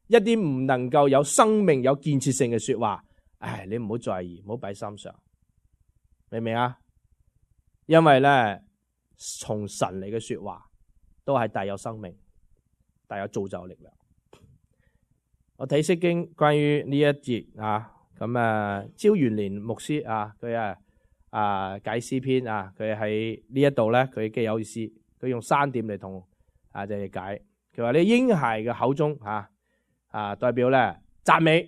一啲唔能夠有生命、有建設性嘅說話，唉，你唔好在意，唔好擺心上，明唔明啊？因為咧，從神嚟嘅說話。都係帶有生命，帶有造就力量。我睇釋經關於呢一節啊，咁啊，焦元年牧師啊，佢啊啊解詩篇啊，佢喺呢一度咧，佢幾有意思，佢用三點嚟同啊就係解。佢話你嬰孩嘅口中啊啊代表咧讚美，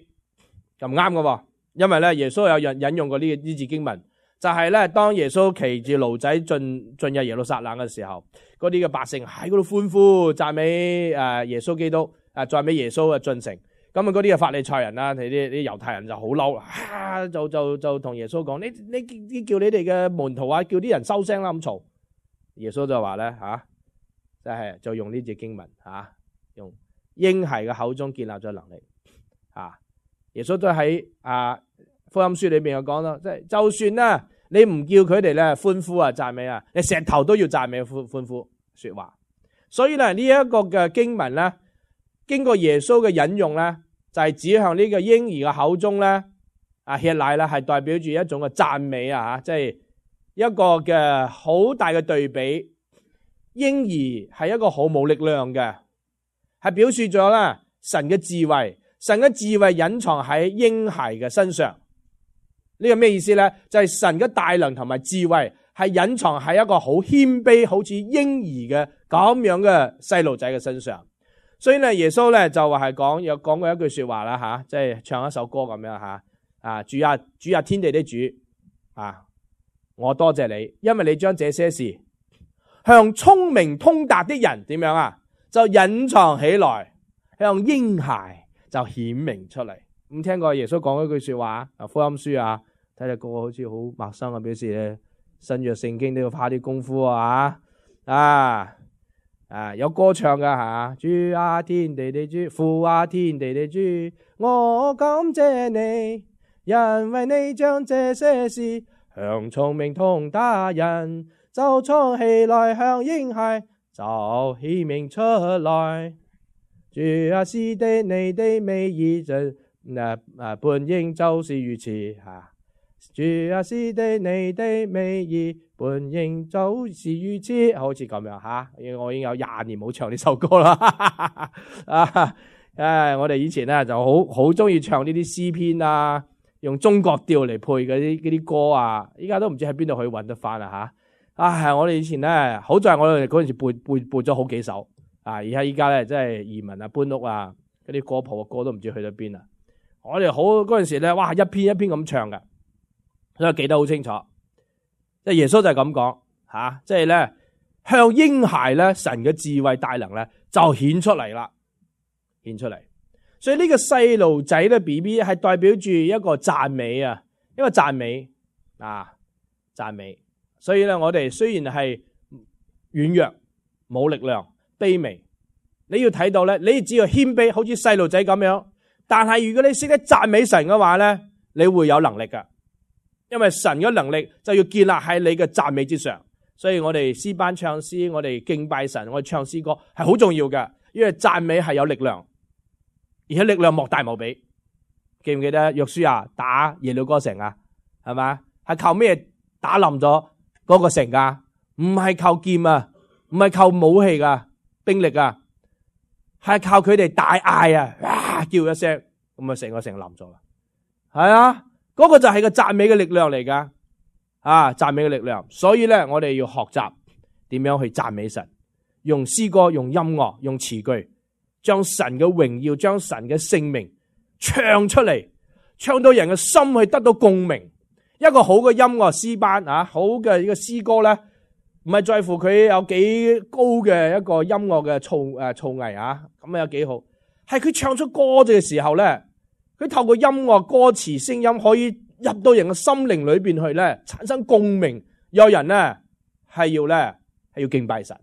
咁唔啱噶，因為咧耶穌有引引用過呢呢節經文。就係咧，當耶穌騎住驢仔進進入耶路撒冷嘅時候，嗰啲嘅百姓喺嗰度歡呼讚美誒耶穌基督，誒讚美耶穌嘅進城。咁啊，嗰啲嘅法利賽人啦，啲啲猶太人就好嬲啦，就就就同耶穌講：你你你叫你哋嘅門徒啊，叫啲人收聲啦咁嘈。耶穌就話咧吓，即係就用呢節經文吓，用嬰孩嘅口中建立咗能力啊！耶穌都喺啊福音書裏邊有講到，即係就算啦，你唔叫佢哋咧歡呼啊讚美啊，你石頭都要讚美歡歡呼說話。所以咧呢一個嘅經文咧，經過耶穌嘅引用咧，就係指向呢個嬰兒嘅口中咧啊吃奶啦，係代表住一種嘅讚美啊吓，即係一個嘅好大嘅對比。嬰兒係一個好冇力量嘅，係表示咗咧神嘅智慧，神嘅智慧隱藏喺嬰孩嘅身上。呢個咩意思咧？就係神嘅大能同埋智慧係隱藏喺一個好謙卑，好似嬰兒嘅咁樣嘅細路仔嘅身上。所以咧，耶穌咧就話係講有講過一句說話啦吓，即係唱一首歌咁樣吓啊，主啊主啊天地的主啊，我多謝你，因為你將這些事向聰明通達的人點樣啊，就隱藏起來，向嬰孩就顯明出嚟。咁聽過耶穌講一句說話啊，福音書啊，睇下個個好似好陌生啊，表示咧新約聖經都要花啲功夫啊啊啊有歌唱噶吓，主啊天地的主，父啊天地的主，我感謝你，因為你將這些事向聰明通達人就藏起來，向嬰孩就顯明出來。主啊，是的，你的美意就誒誒本應就是如此吓。主啊，是的，你的美意本應就是如此，好似咁樣吓。我已經有廿年冇唱呢首歌啦。啊誒，我哋以前咧就好好中意唱呢啲詩篇啊，用中國調嚟配嗰啲嗰啲歌啊。依家都唔知喺邊度可以搵得翻啦吓。啊，我哋以前咧，好在我哋嗰陣時背背背咗好幾首啊，而家依家咧，真係移民啊、搬屋啊，嗰啲歌譜嘅歌都唔知去咗邊啦。我哋好嗰陣時咧，哇，一篇一篇咁唱噶，所以記得好清楚。即係耶穌就係咁講吓，即係咧向嬰孩咧，神嘅智慧大能咧就顯出嚟啦，顯出嚟。所以呢個細路仔咧 B B 係代表住一個讚美啊，一個讚美啊，讚美。所以咧，我哋雖然係軟弱、冇力量、卑微，你要睇到咧，你只要謙卑，好似細路仔咁樣。但係如果你識得讚美神嘅話咧，你會有能力噶，因為神嘅能力就要建立喺你嘅讚美之上。所以我哋詩班唱詩，我哋敬拜神，我哋唱詩歌係好重要嘅，因為讚美係有力量，而且力量莫大無比。記唔記得約書亞打耶利哥城啊？係咪？係靠咩打冧咗嗰個城噶？唔係靠劍啊，唔係靠武器噶兵力啊，係靠佢哋大嗌啊，哇叫一聲，咁啊成個城冧咗啦。係啊，嗰個就係個讚美嘅力量嚟噶，啊讚美嘅力量。所以咧，我哋要學習點樣去讚美神，用詩歌、用音樂、用詞句，將神嘅榮耀、將神嘅聖名唱出嚟，唱到人嘅心去得到共鳴。一個好嘅音樂詩班啊，好嘅呢個詩歌咧，唔係在乎佢有幾高嘅一個音樂嘅造誒造詣啊，咁啊有幾好，係佢唱出歌嘅時候咧，佢透過音樂歌詞聲音可以入到人嘅心靈裏邊去咧，產生共鳴。有人咧係要咧係要敬拜神，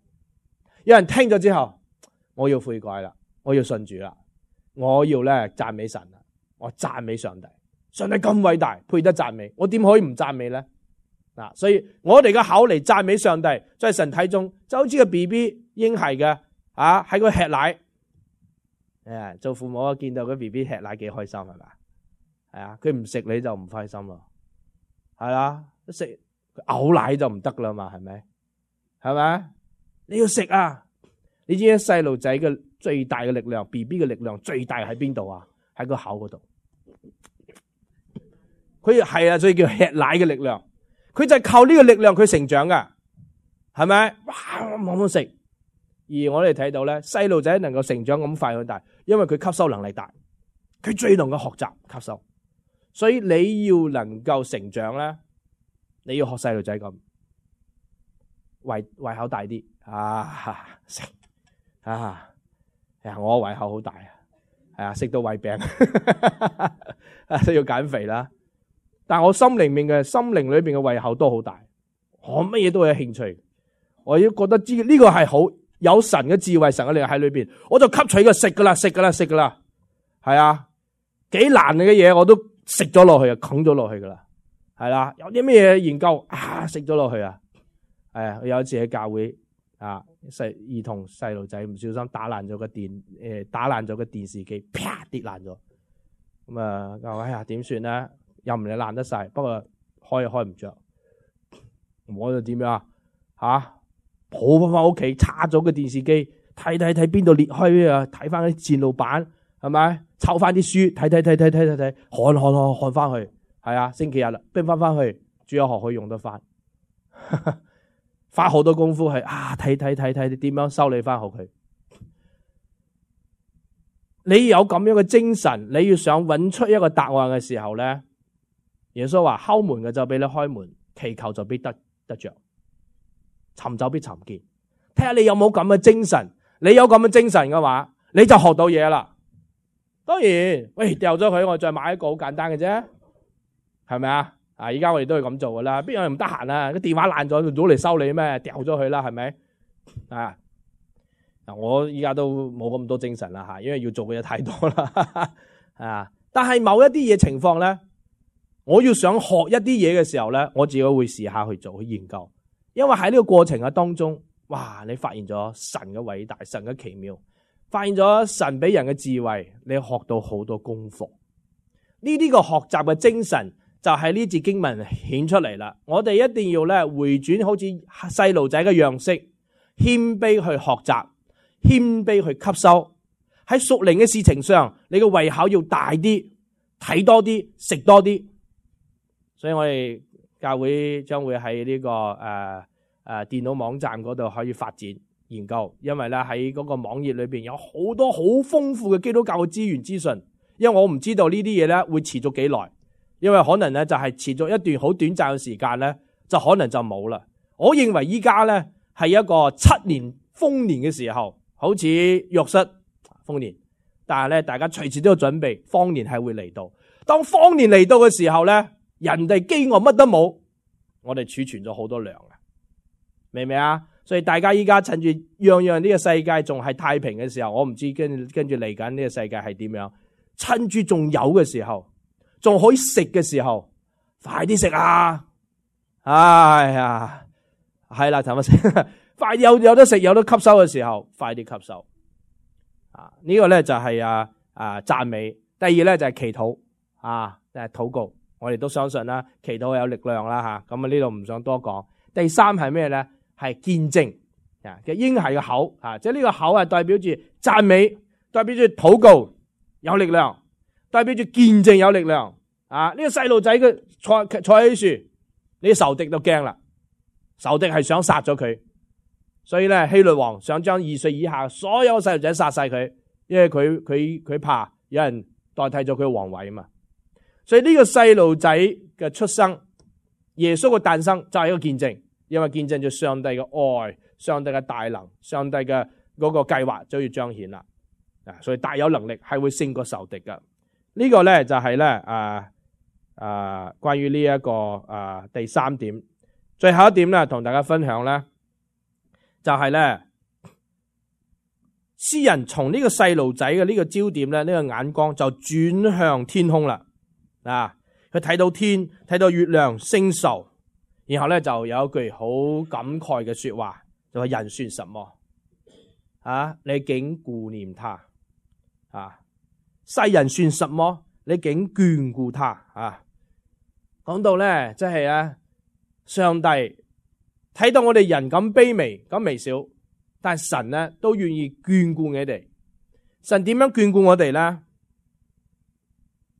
有人聽咗之後，我要悔改啦，我要信主啦，我要咧讚美神啦，我讚美上帝。上帝咁偉大，配得讚美，我點可以唔讚美咧？嗱，所以我哋嘅口嚟讚美上帝，在神體中就好似個 B B 嬰孩嘅啊，喺個吃奶，誒，做父母見到個 B B 吃奶幾開心係咪？係啊，佢唔食你就唔開心咯，係啊，食嘔奶就唔得啦嘛，係咪？係咪？你要食啊！你知唔知細路仔嘅最大嘅力量 ，B B 嘅力量最大喺邊度啊？喺個口嗰度。佢係啊，所以叫吃奶嘅力量。佢就係靠呢個力量佢成長噶，係咪？哇，猛猛食。而我哋睇到咧，細路仔能夠成長咁快咁大，因為佢吸收能力大，佢最能夠學習吸收。所以你要能夠成長咧，你要學細路仔咁，胃胃口大啲啊食啊，呀我胃口好大啊，係啊食到胃病，都要減肥啦。但我心靈面嘅心靈裏邊嘅胃口都好大，我乜嘢都有興趣，我要覺得知呢個係好，有神嘅智慧、神嘅力量喺裏邊，我就吸取嘅食噶啦，食噶啦，食噶啦，係啊，幾難嘅嘢我都食咗落去啊，啃咗落去噶啦，係啦，有啲咩嘢研究啊，食咗落去啊，係啊，有一次喺教會啊，細兒童細路仔唔小心打爛咗個電誒，打爛咗個電視機，啪跌爛咗，咁啊，我話哎呀點算咧？又唔係爛得晒，不過開又開唔着，我就點樣啊？吓，抱翻翻屋企，叉咗個電視機，睇睇睇邊度裂開啊，睇翻啲線路板，係咪？抄翻啲書，睇睇睇睇睇睇睇，看看看看翻去，係啊，星期日啦，拎翻翻去，主日學可以用得翻，花好多功夫係啊，睇睇睇睇點樣修理翻好佢。你有咁樣嘅精神，你要想揾出一個答案嘅時候咧，耶穌話敲門嘅就俾你開門，祈求就必得得着，尋找必尋見。睇下你有冇咁嘅精神，你有咁嘅精神嘅話，你就學到嘢啦。當然，喂，掉咗佢，我再買一個好簡單嘅啫，係咪啊？啊，而家我哋都係咁做噶啦，邊有人唔得閒啊？個電話爛咗，早嚟修理咩？掉咗佢啦，係咪？啊，嗱，我而家都冇咁多精神啦吓，因為要做嘅嘢太多啦啊。但係某一啲嘢情況咧，我要想學一啲嘢嘅時候咧，我自己會試下去做去研究，因為喺呢個過程嘅當中，哇！你發現咗神嘅偉大，神嘅奇妙，發現咗神俾人嘅智慧，你學到好多功課。呢啲個學習嘅精神就喺呢節經文顯出嚟啦。我哋一定要咧回轉，好似細路仔嘅樣式，謙卑去學習，謙卑去吸收。喺屬靈嘅事情上，你嘅胃口要大啲，睇多啲，食多啲。所以我哋教會將會喺呢、這個誒誒、呃呃、電腦網站嗰度可以發展研究，因為咧喺嗰個網頁裏邊有好多好豐富嘅基督教嘅資源資訊。因為我唔知道呢啲嘢咧會持續幾耐，因為可能咧就係持續一段好短暫嘅時間咧，就可能就冇啦。我認為依家咧係一個七年豐年嘅時候，好似約瑟豐年，但係咧大家隨時都要準備，荒年係會嚟到。當荒年嚟到嘅時候咧，人哋飢餓乜都冇，我哋儲存咗好多糧啊，明唔明啊？所以大家依家趁住樣樣呢個世界仲係太平嘅時候，我唔知跟跟住嚟緊呢個世界係點樣。趁住仲有嘅時候，仲可以食嘅時候，快啲食啊！哎呀，係啦，頭先快有有得食有得吸收嘅時候，快啲吸收啊！呢、這個咧就係啊啊讚美。第二咧就係祈禱啊，誒禱告。我哋都相信啦，祈禱有力量啦吓。咁啊呢度唔想多講。第三係咩咧？係見證啊嘅嬰孩嘅口啊，即係呢個口係代表住讚美，代表住禱告。有力量，代表住見證有力量啊！呢、這個細路仔嘅坐坐喺樹，你仇敵都驚啦，仇敵係想殺咗佢，所以咧希律王想將二歲以下所有細路仔殺晒佢，因為佢佢佢怕有人代替咗佢嘅皇位啊嘛。所以呢個細路仔嘅出生，耶穌嘅誕生就係一個見證，因為見證咗上帝嘅愛、上帝嘅大能、上帝嘅嗰個計劃就要彰顯啦。所以大有能力係會勝過仇敵噶。呢個咧就係咧啊啊關於呢一個啊第三點，最後一點咧同大家分享咧就係咧詩人從呢個細路仔嘅呢個焦點咧，呢個眼光就轉向天空啦。啊，佢睇到天，睇到月亮星宿，然後咧就有一句好感慨嘅說話，就話人算什麼啊？你竟顧念他。啊！世人算什麼？你竟眷顧他啊！講到咧，即係啊，上帝睇到我哋人咁卑微、咁微小，但係神咧都願意眷顧你哋。神點樣眷顧我哋咧？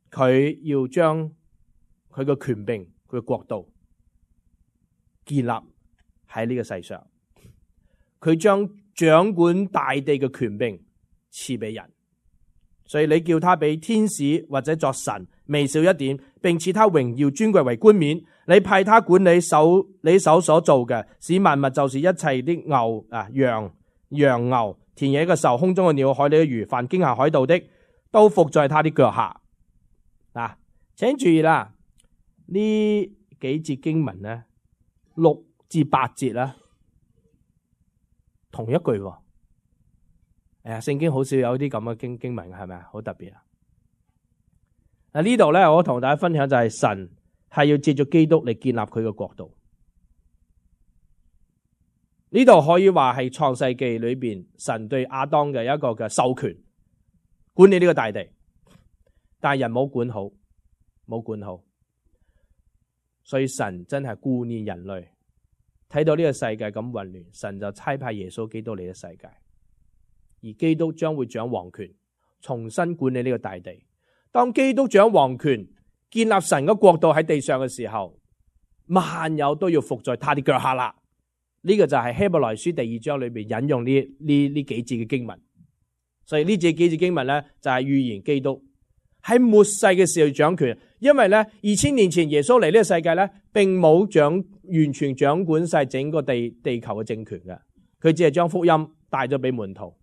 佢要將佢嘅權柄、佢嘅國度建立喺呢個世上。佢將掌管大地嘅權柄賜俾人。所以你叫他比天使或者作神微小一點，並賜他榮耀尊貴為冠冕。你派他管理手你手所做嘅，使萬物就是一切啲牛啊羊羊牛田野嘅獸空中嘅鳥海裏嘅魚凡經下海道的都伏在他的腳下。嗱、啊，請注意啦，呢幾節經文咧六至八節啦，同一句誒，聖經好少有啲咁嘅經經文，係咪啊？好特別啊！嗱，呢度咧，我同大家分享就係神係要借助基督嚟建立佢嘅國度。呢度可以話係創世記裏邊神對亞當嘅一個嘅授權，管理呢個大地，但係人冇管好，冇管好，所以神真係顧念人類，睇到呢個世界咁混亂，神就差派耶穌基督嚟嘅世界，而基督將會掌王權，重新管理呢個大地。當基督掌王權，建立神嘅國度喺地上嘅時候，萬有都要服在他的腳下啦。呢、這個就係希伯來書第二章裏邊引用呢呢呢幾節嘅經文。所以呢幾節經文咧就係預言基督喺末世嘅時候掌權。因為咧二千年前耶穌嚟呢個世界咧，並冇掌完全掌管晒整個地地球嘅政權嘅，佢只係將福音帶咗俾門徒。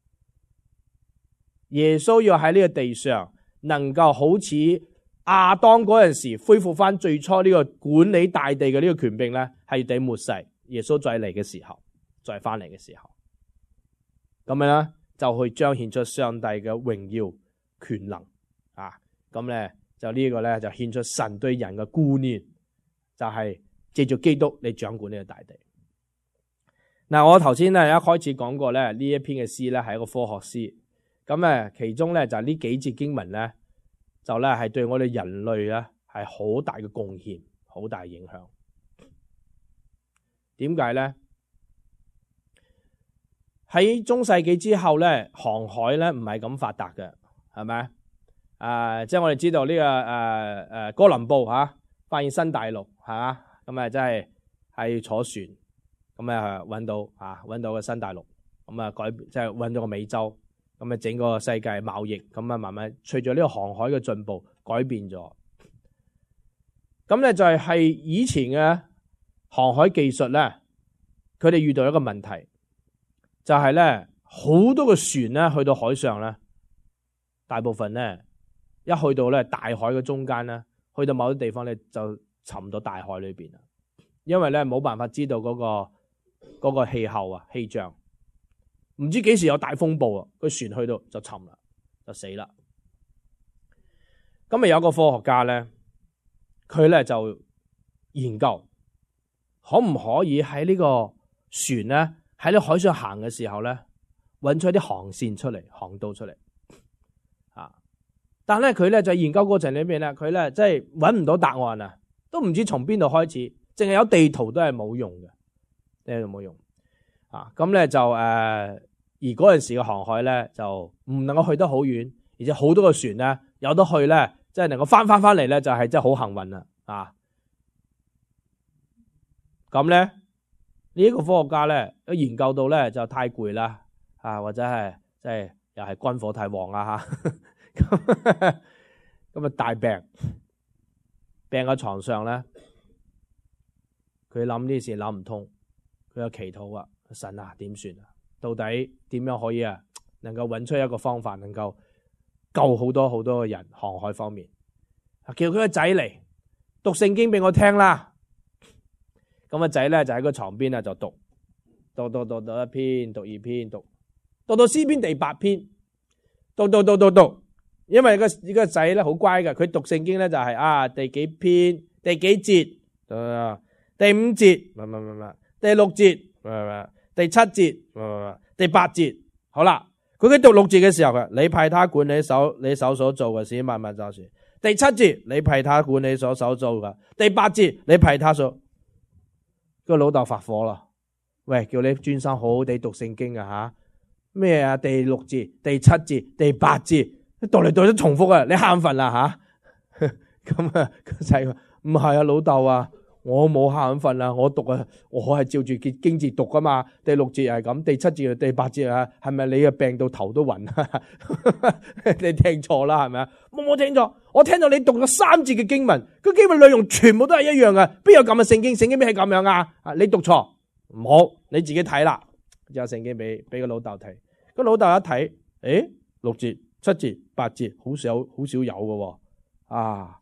耶穌要喺呢個地上能夠好似亞當嗰陣時恢復翻最初呢個管理大地嘅呢個權柄咧，係第末世耶穌再嚟嘅時候，再翻嚟嘅時候，咁樣咧就去彰顯出上帝嘅榮耀權能啊！咁咧就呢個咧就顯出神對人嘅顧念，就係借助基督嚟掌管呢個大地。嗱，我頭先咧一開始講過咧，呢一篇嘅詩咧係一個科學詩，咁誒其中咧就呢幾節經文咧，就咧係對我哋人類咧係好大嘅貢獻，好大嘅影響。點解咧？喺中世紀之後咧，航海咧唔係咁發達嘅，係咪？誒、呃，即係我哋知道呢、這個誒誒、呃、哥倫布吓、啊、發現新大陸，係嘛？咁啊真係係坐船，咁啊搵到啊搵到個新大陸，咁啊改即係搵到個美洲，咁啊整個世界貿易，咁啊慢慢隨住呢個航海嘅進步改變咗。咁咧就係係以前嘅航海技術咧，佢哋遇到一個問題，就係咧好多個船咧去到海上咧，大部分咧一去到咧大海嘅中間咧，去到某啲地方咧就沉到大海裏邊啦，因為咧冇辦法知道嗰個嗰個氣候啊氣象，唔知幾時有大風暴啊，個船去到就沉啦，就死啦。咁咪有個科學家咧，佢咧就研究可唔可以喺呢個船咧喺呢海上行嘅時候咧，搵出一啲航線出嚟，航道出嚟啊！但係咧佢咧就研究過程裏邊咧，佢咧即係搵唔到答案啊，都唔知從邊度開始，淨係有地圖都係冇用嘅，呢度冇用啊！咁咧就誒、呃，而嗰陣時嘅航海咧就唔能夠去得好遠，而且好多個船咧有得去咧，即係能夠翻翻翻嚟咧，就係真係好幸運啦啊！咁咧呢一個科學家咧，都研究到咧就太攰啦，啊或者係即係又係軍火太旺啊吓，咁咁啊大病，病喺床上咧，佢諗呢事諗唔通，佢有祈禱啊，神啊點算啊？到底點樣可以啊？能夠揾出一個方法，能夠救好多好多嘅人航海方面，叫佢個仔嚟讀聖經俾我聽啦。咁個仔咧就喺個床邊啊，就讀讀讀讀讀一篇，讀二篇，讀讀到詩篇第八篇，讀讀讀讀讀。因為個呢個仔咧好乖嘅，佢讀聖經咧就係啊第幾篇第幾節啊第五節，唔唔唔唔，第六節，唔唔第七節，唔唔第八節。好啦，佢喺讀六節嘅時候嘅，你派他管理手你手所做嘅事，萬萬就算。第七節你派他管理所手做嘅，第八節你派他所。個老豆發火啦！喂，叫你專心好好地讀聖經啊吓！咩啊？第六節、第七節、第八節，讀嚟讀去重複啊！你瞌瞓啦吓！咁啊，個仔話唔係啊，老豆啊，我冇瞌瞓啊，我讀啊，我係照住經經節讀噶嘛。第六節係咁，第七節、第八節啊，係咪你啊病到頭都暈啊？你聽錯啦，係咪啊？我冇聽錯，我聽到你讀咗三節嘅經文，個經文內容全部都係一樣嘅，邊有咁嘅聖經？聖經邊係咁樣啊？啊，你讀錯，唔好，你自己睇啦。有聖經俾俾個老豆睇，個老豆一睇，誒，六節、七節、八節，好少好少有嘅，啊，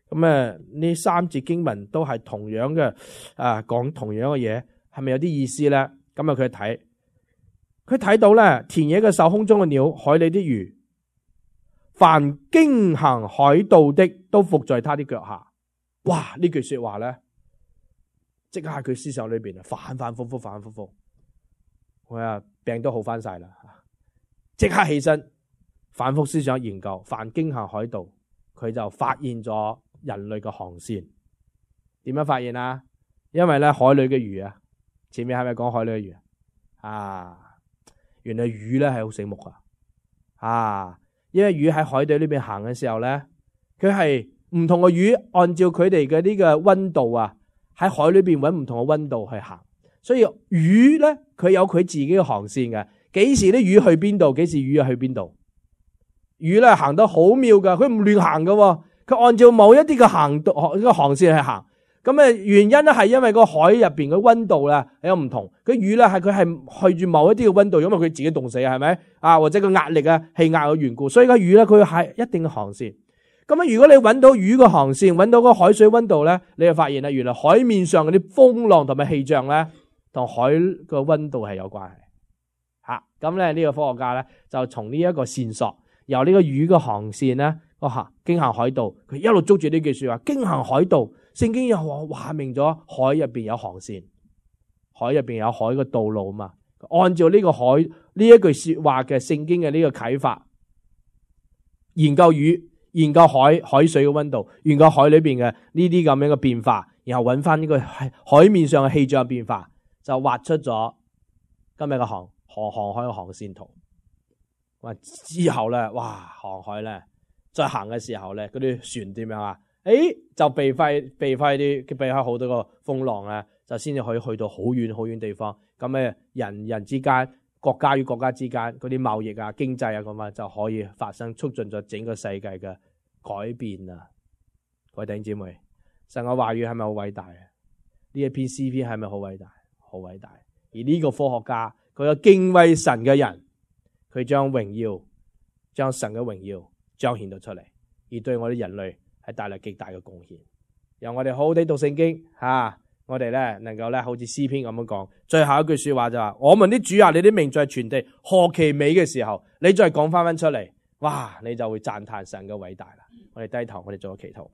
咁誒呢三節經文都係同樣嘅，啊，講同樣嘅嘢，係咪有啲意思咧？咁啊佢睇，佢睇到咧田野嘅獸、空中嘅鳥、海裏的魚，凡經行海道的都伏在他的腳下。哇！呢句說話咧，即刻喺佢思想裏邊啊，反反复复，反反复复。我啊病都好翻晒啦，即刻起身，反复思想研究。凡經行海道，佢就發現咗人類嘅航線。點樣發現啊？因為咧海裏嘅魚啊，前面係咪講海裏嘅魚啊？原來魚咧係好醒目噶，啊！因為魚喺海底呢邊行嘅時候咧，佢係唔同嘅魚，按照佢哋嘅呢個溫度啊，喺海裏邊揾唔同嘅溫度去行。所以魚咧，佢有佢自己嘅航線嘅。幾時啲魚去邊度？幾時魚去邊度？魚咧行得好妙噶，佢唔亂行噶，佢按照某一啲嘅行道呢個航線去行。咁啊原因咧係因為個海入邊嘅溫度咧有唔同。佢魚咧係佢係去住某一啲嘅溫度，因為佢自己凍死係咪啊？或者個壓力啊氣壓嘅緣故，所以個魚咧佢係一定嘅航線。咁啊，如果你揾到魚嘅航線，揾到個海水溫度咧，你就發現啦，原來海面上嗰啲風浪同埋氣象咧，同海個溫度係有關係。吓，咁咧呢個科學家咧就從呢一個線索，由呢個魚嘅航線咧，個行經行海道，佢一路捉住呢句說話，經行海道，聖經又話話明咗海入邊有航線，海入邊有海嘅道路嘛。按照呢個海呢一句說話嘅聖經嘅呢個啟發，研究魚，研究海海水嘅溫度，研究海裏邊嘅呢啲咁樣嘅變化，然後揾翻呢個海面上嘅氣象變化，就畫出咗今日嘅航航航海嘅航線圖。哇！之後咧，哇，航海咧再行嘅時候咧，嗰啲船點樣啊？誒，就避開避開啲避開好多個風浪咧，就先至可以去到好遠好遠地方。咁咧，人人之間、國家與國家之間嗰啲貿易啊、經濟啊咁啊，就可以發生，促進咗整個世界嘅改變啊！各位弟兄姊妹，神嘅話語係咪好偉大啊？呢一篇詩篇係咪好偉大？好偉大！而呢個科學家，佢有敬畏神嘅人，佢將榮耀、將神嘅榮耀彰顯到出嚟，而對我哋人類係帶來極大嘅貢獻。由我哋好好地讀聖經吓、啊，我哋咧能夠咧好似詩篇咁樣講，最後一句說話就話：我們的主啊，你的名在全地何其美嘅時候，你再講翻翻出嚟，哇！你就會讚嘆神嘅偉大啦。我哋低頭，我哋做個祈禱。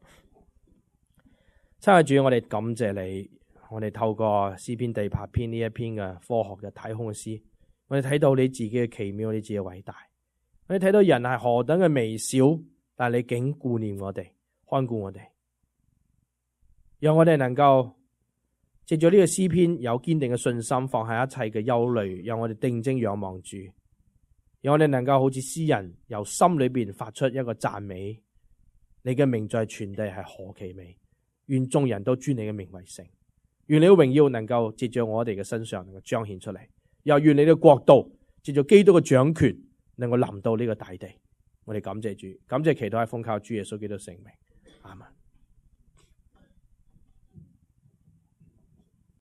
親愛的主，我哋感謝你，我哋透過詩篇第八篇呢一篇嘅科學嘅太空嘅詩，我哋睇到你自己嘅奇妙，你自己嘅偉大。我哋睇到人係何等嘅微小，但係你竟顧念我哋，看顧我哋，讓我哋能夠藉住呢個詩篇有堅定嘅信心，放下一切嘅憂慮，讓我哋定睛仰望主，讓我哋能夠好似詩人由心裏邊發出一個讚美。你嘅名在全地係何其美，願眾人都尊你嘅名為聖，願你嘅榮耀能夠藉住我哋嘅身上能夠彰顯出嚟，又願你嘅國度藉住基督嘅掌權能夠臨到呢個大地。我哋感謝主，感謝祈禱係奉靠主耶穌基督聖名，阿們。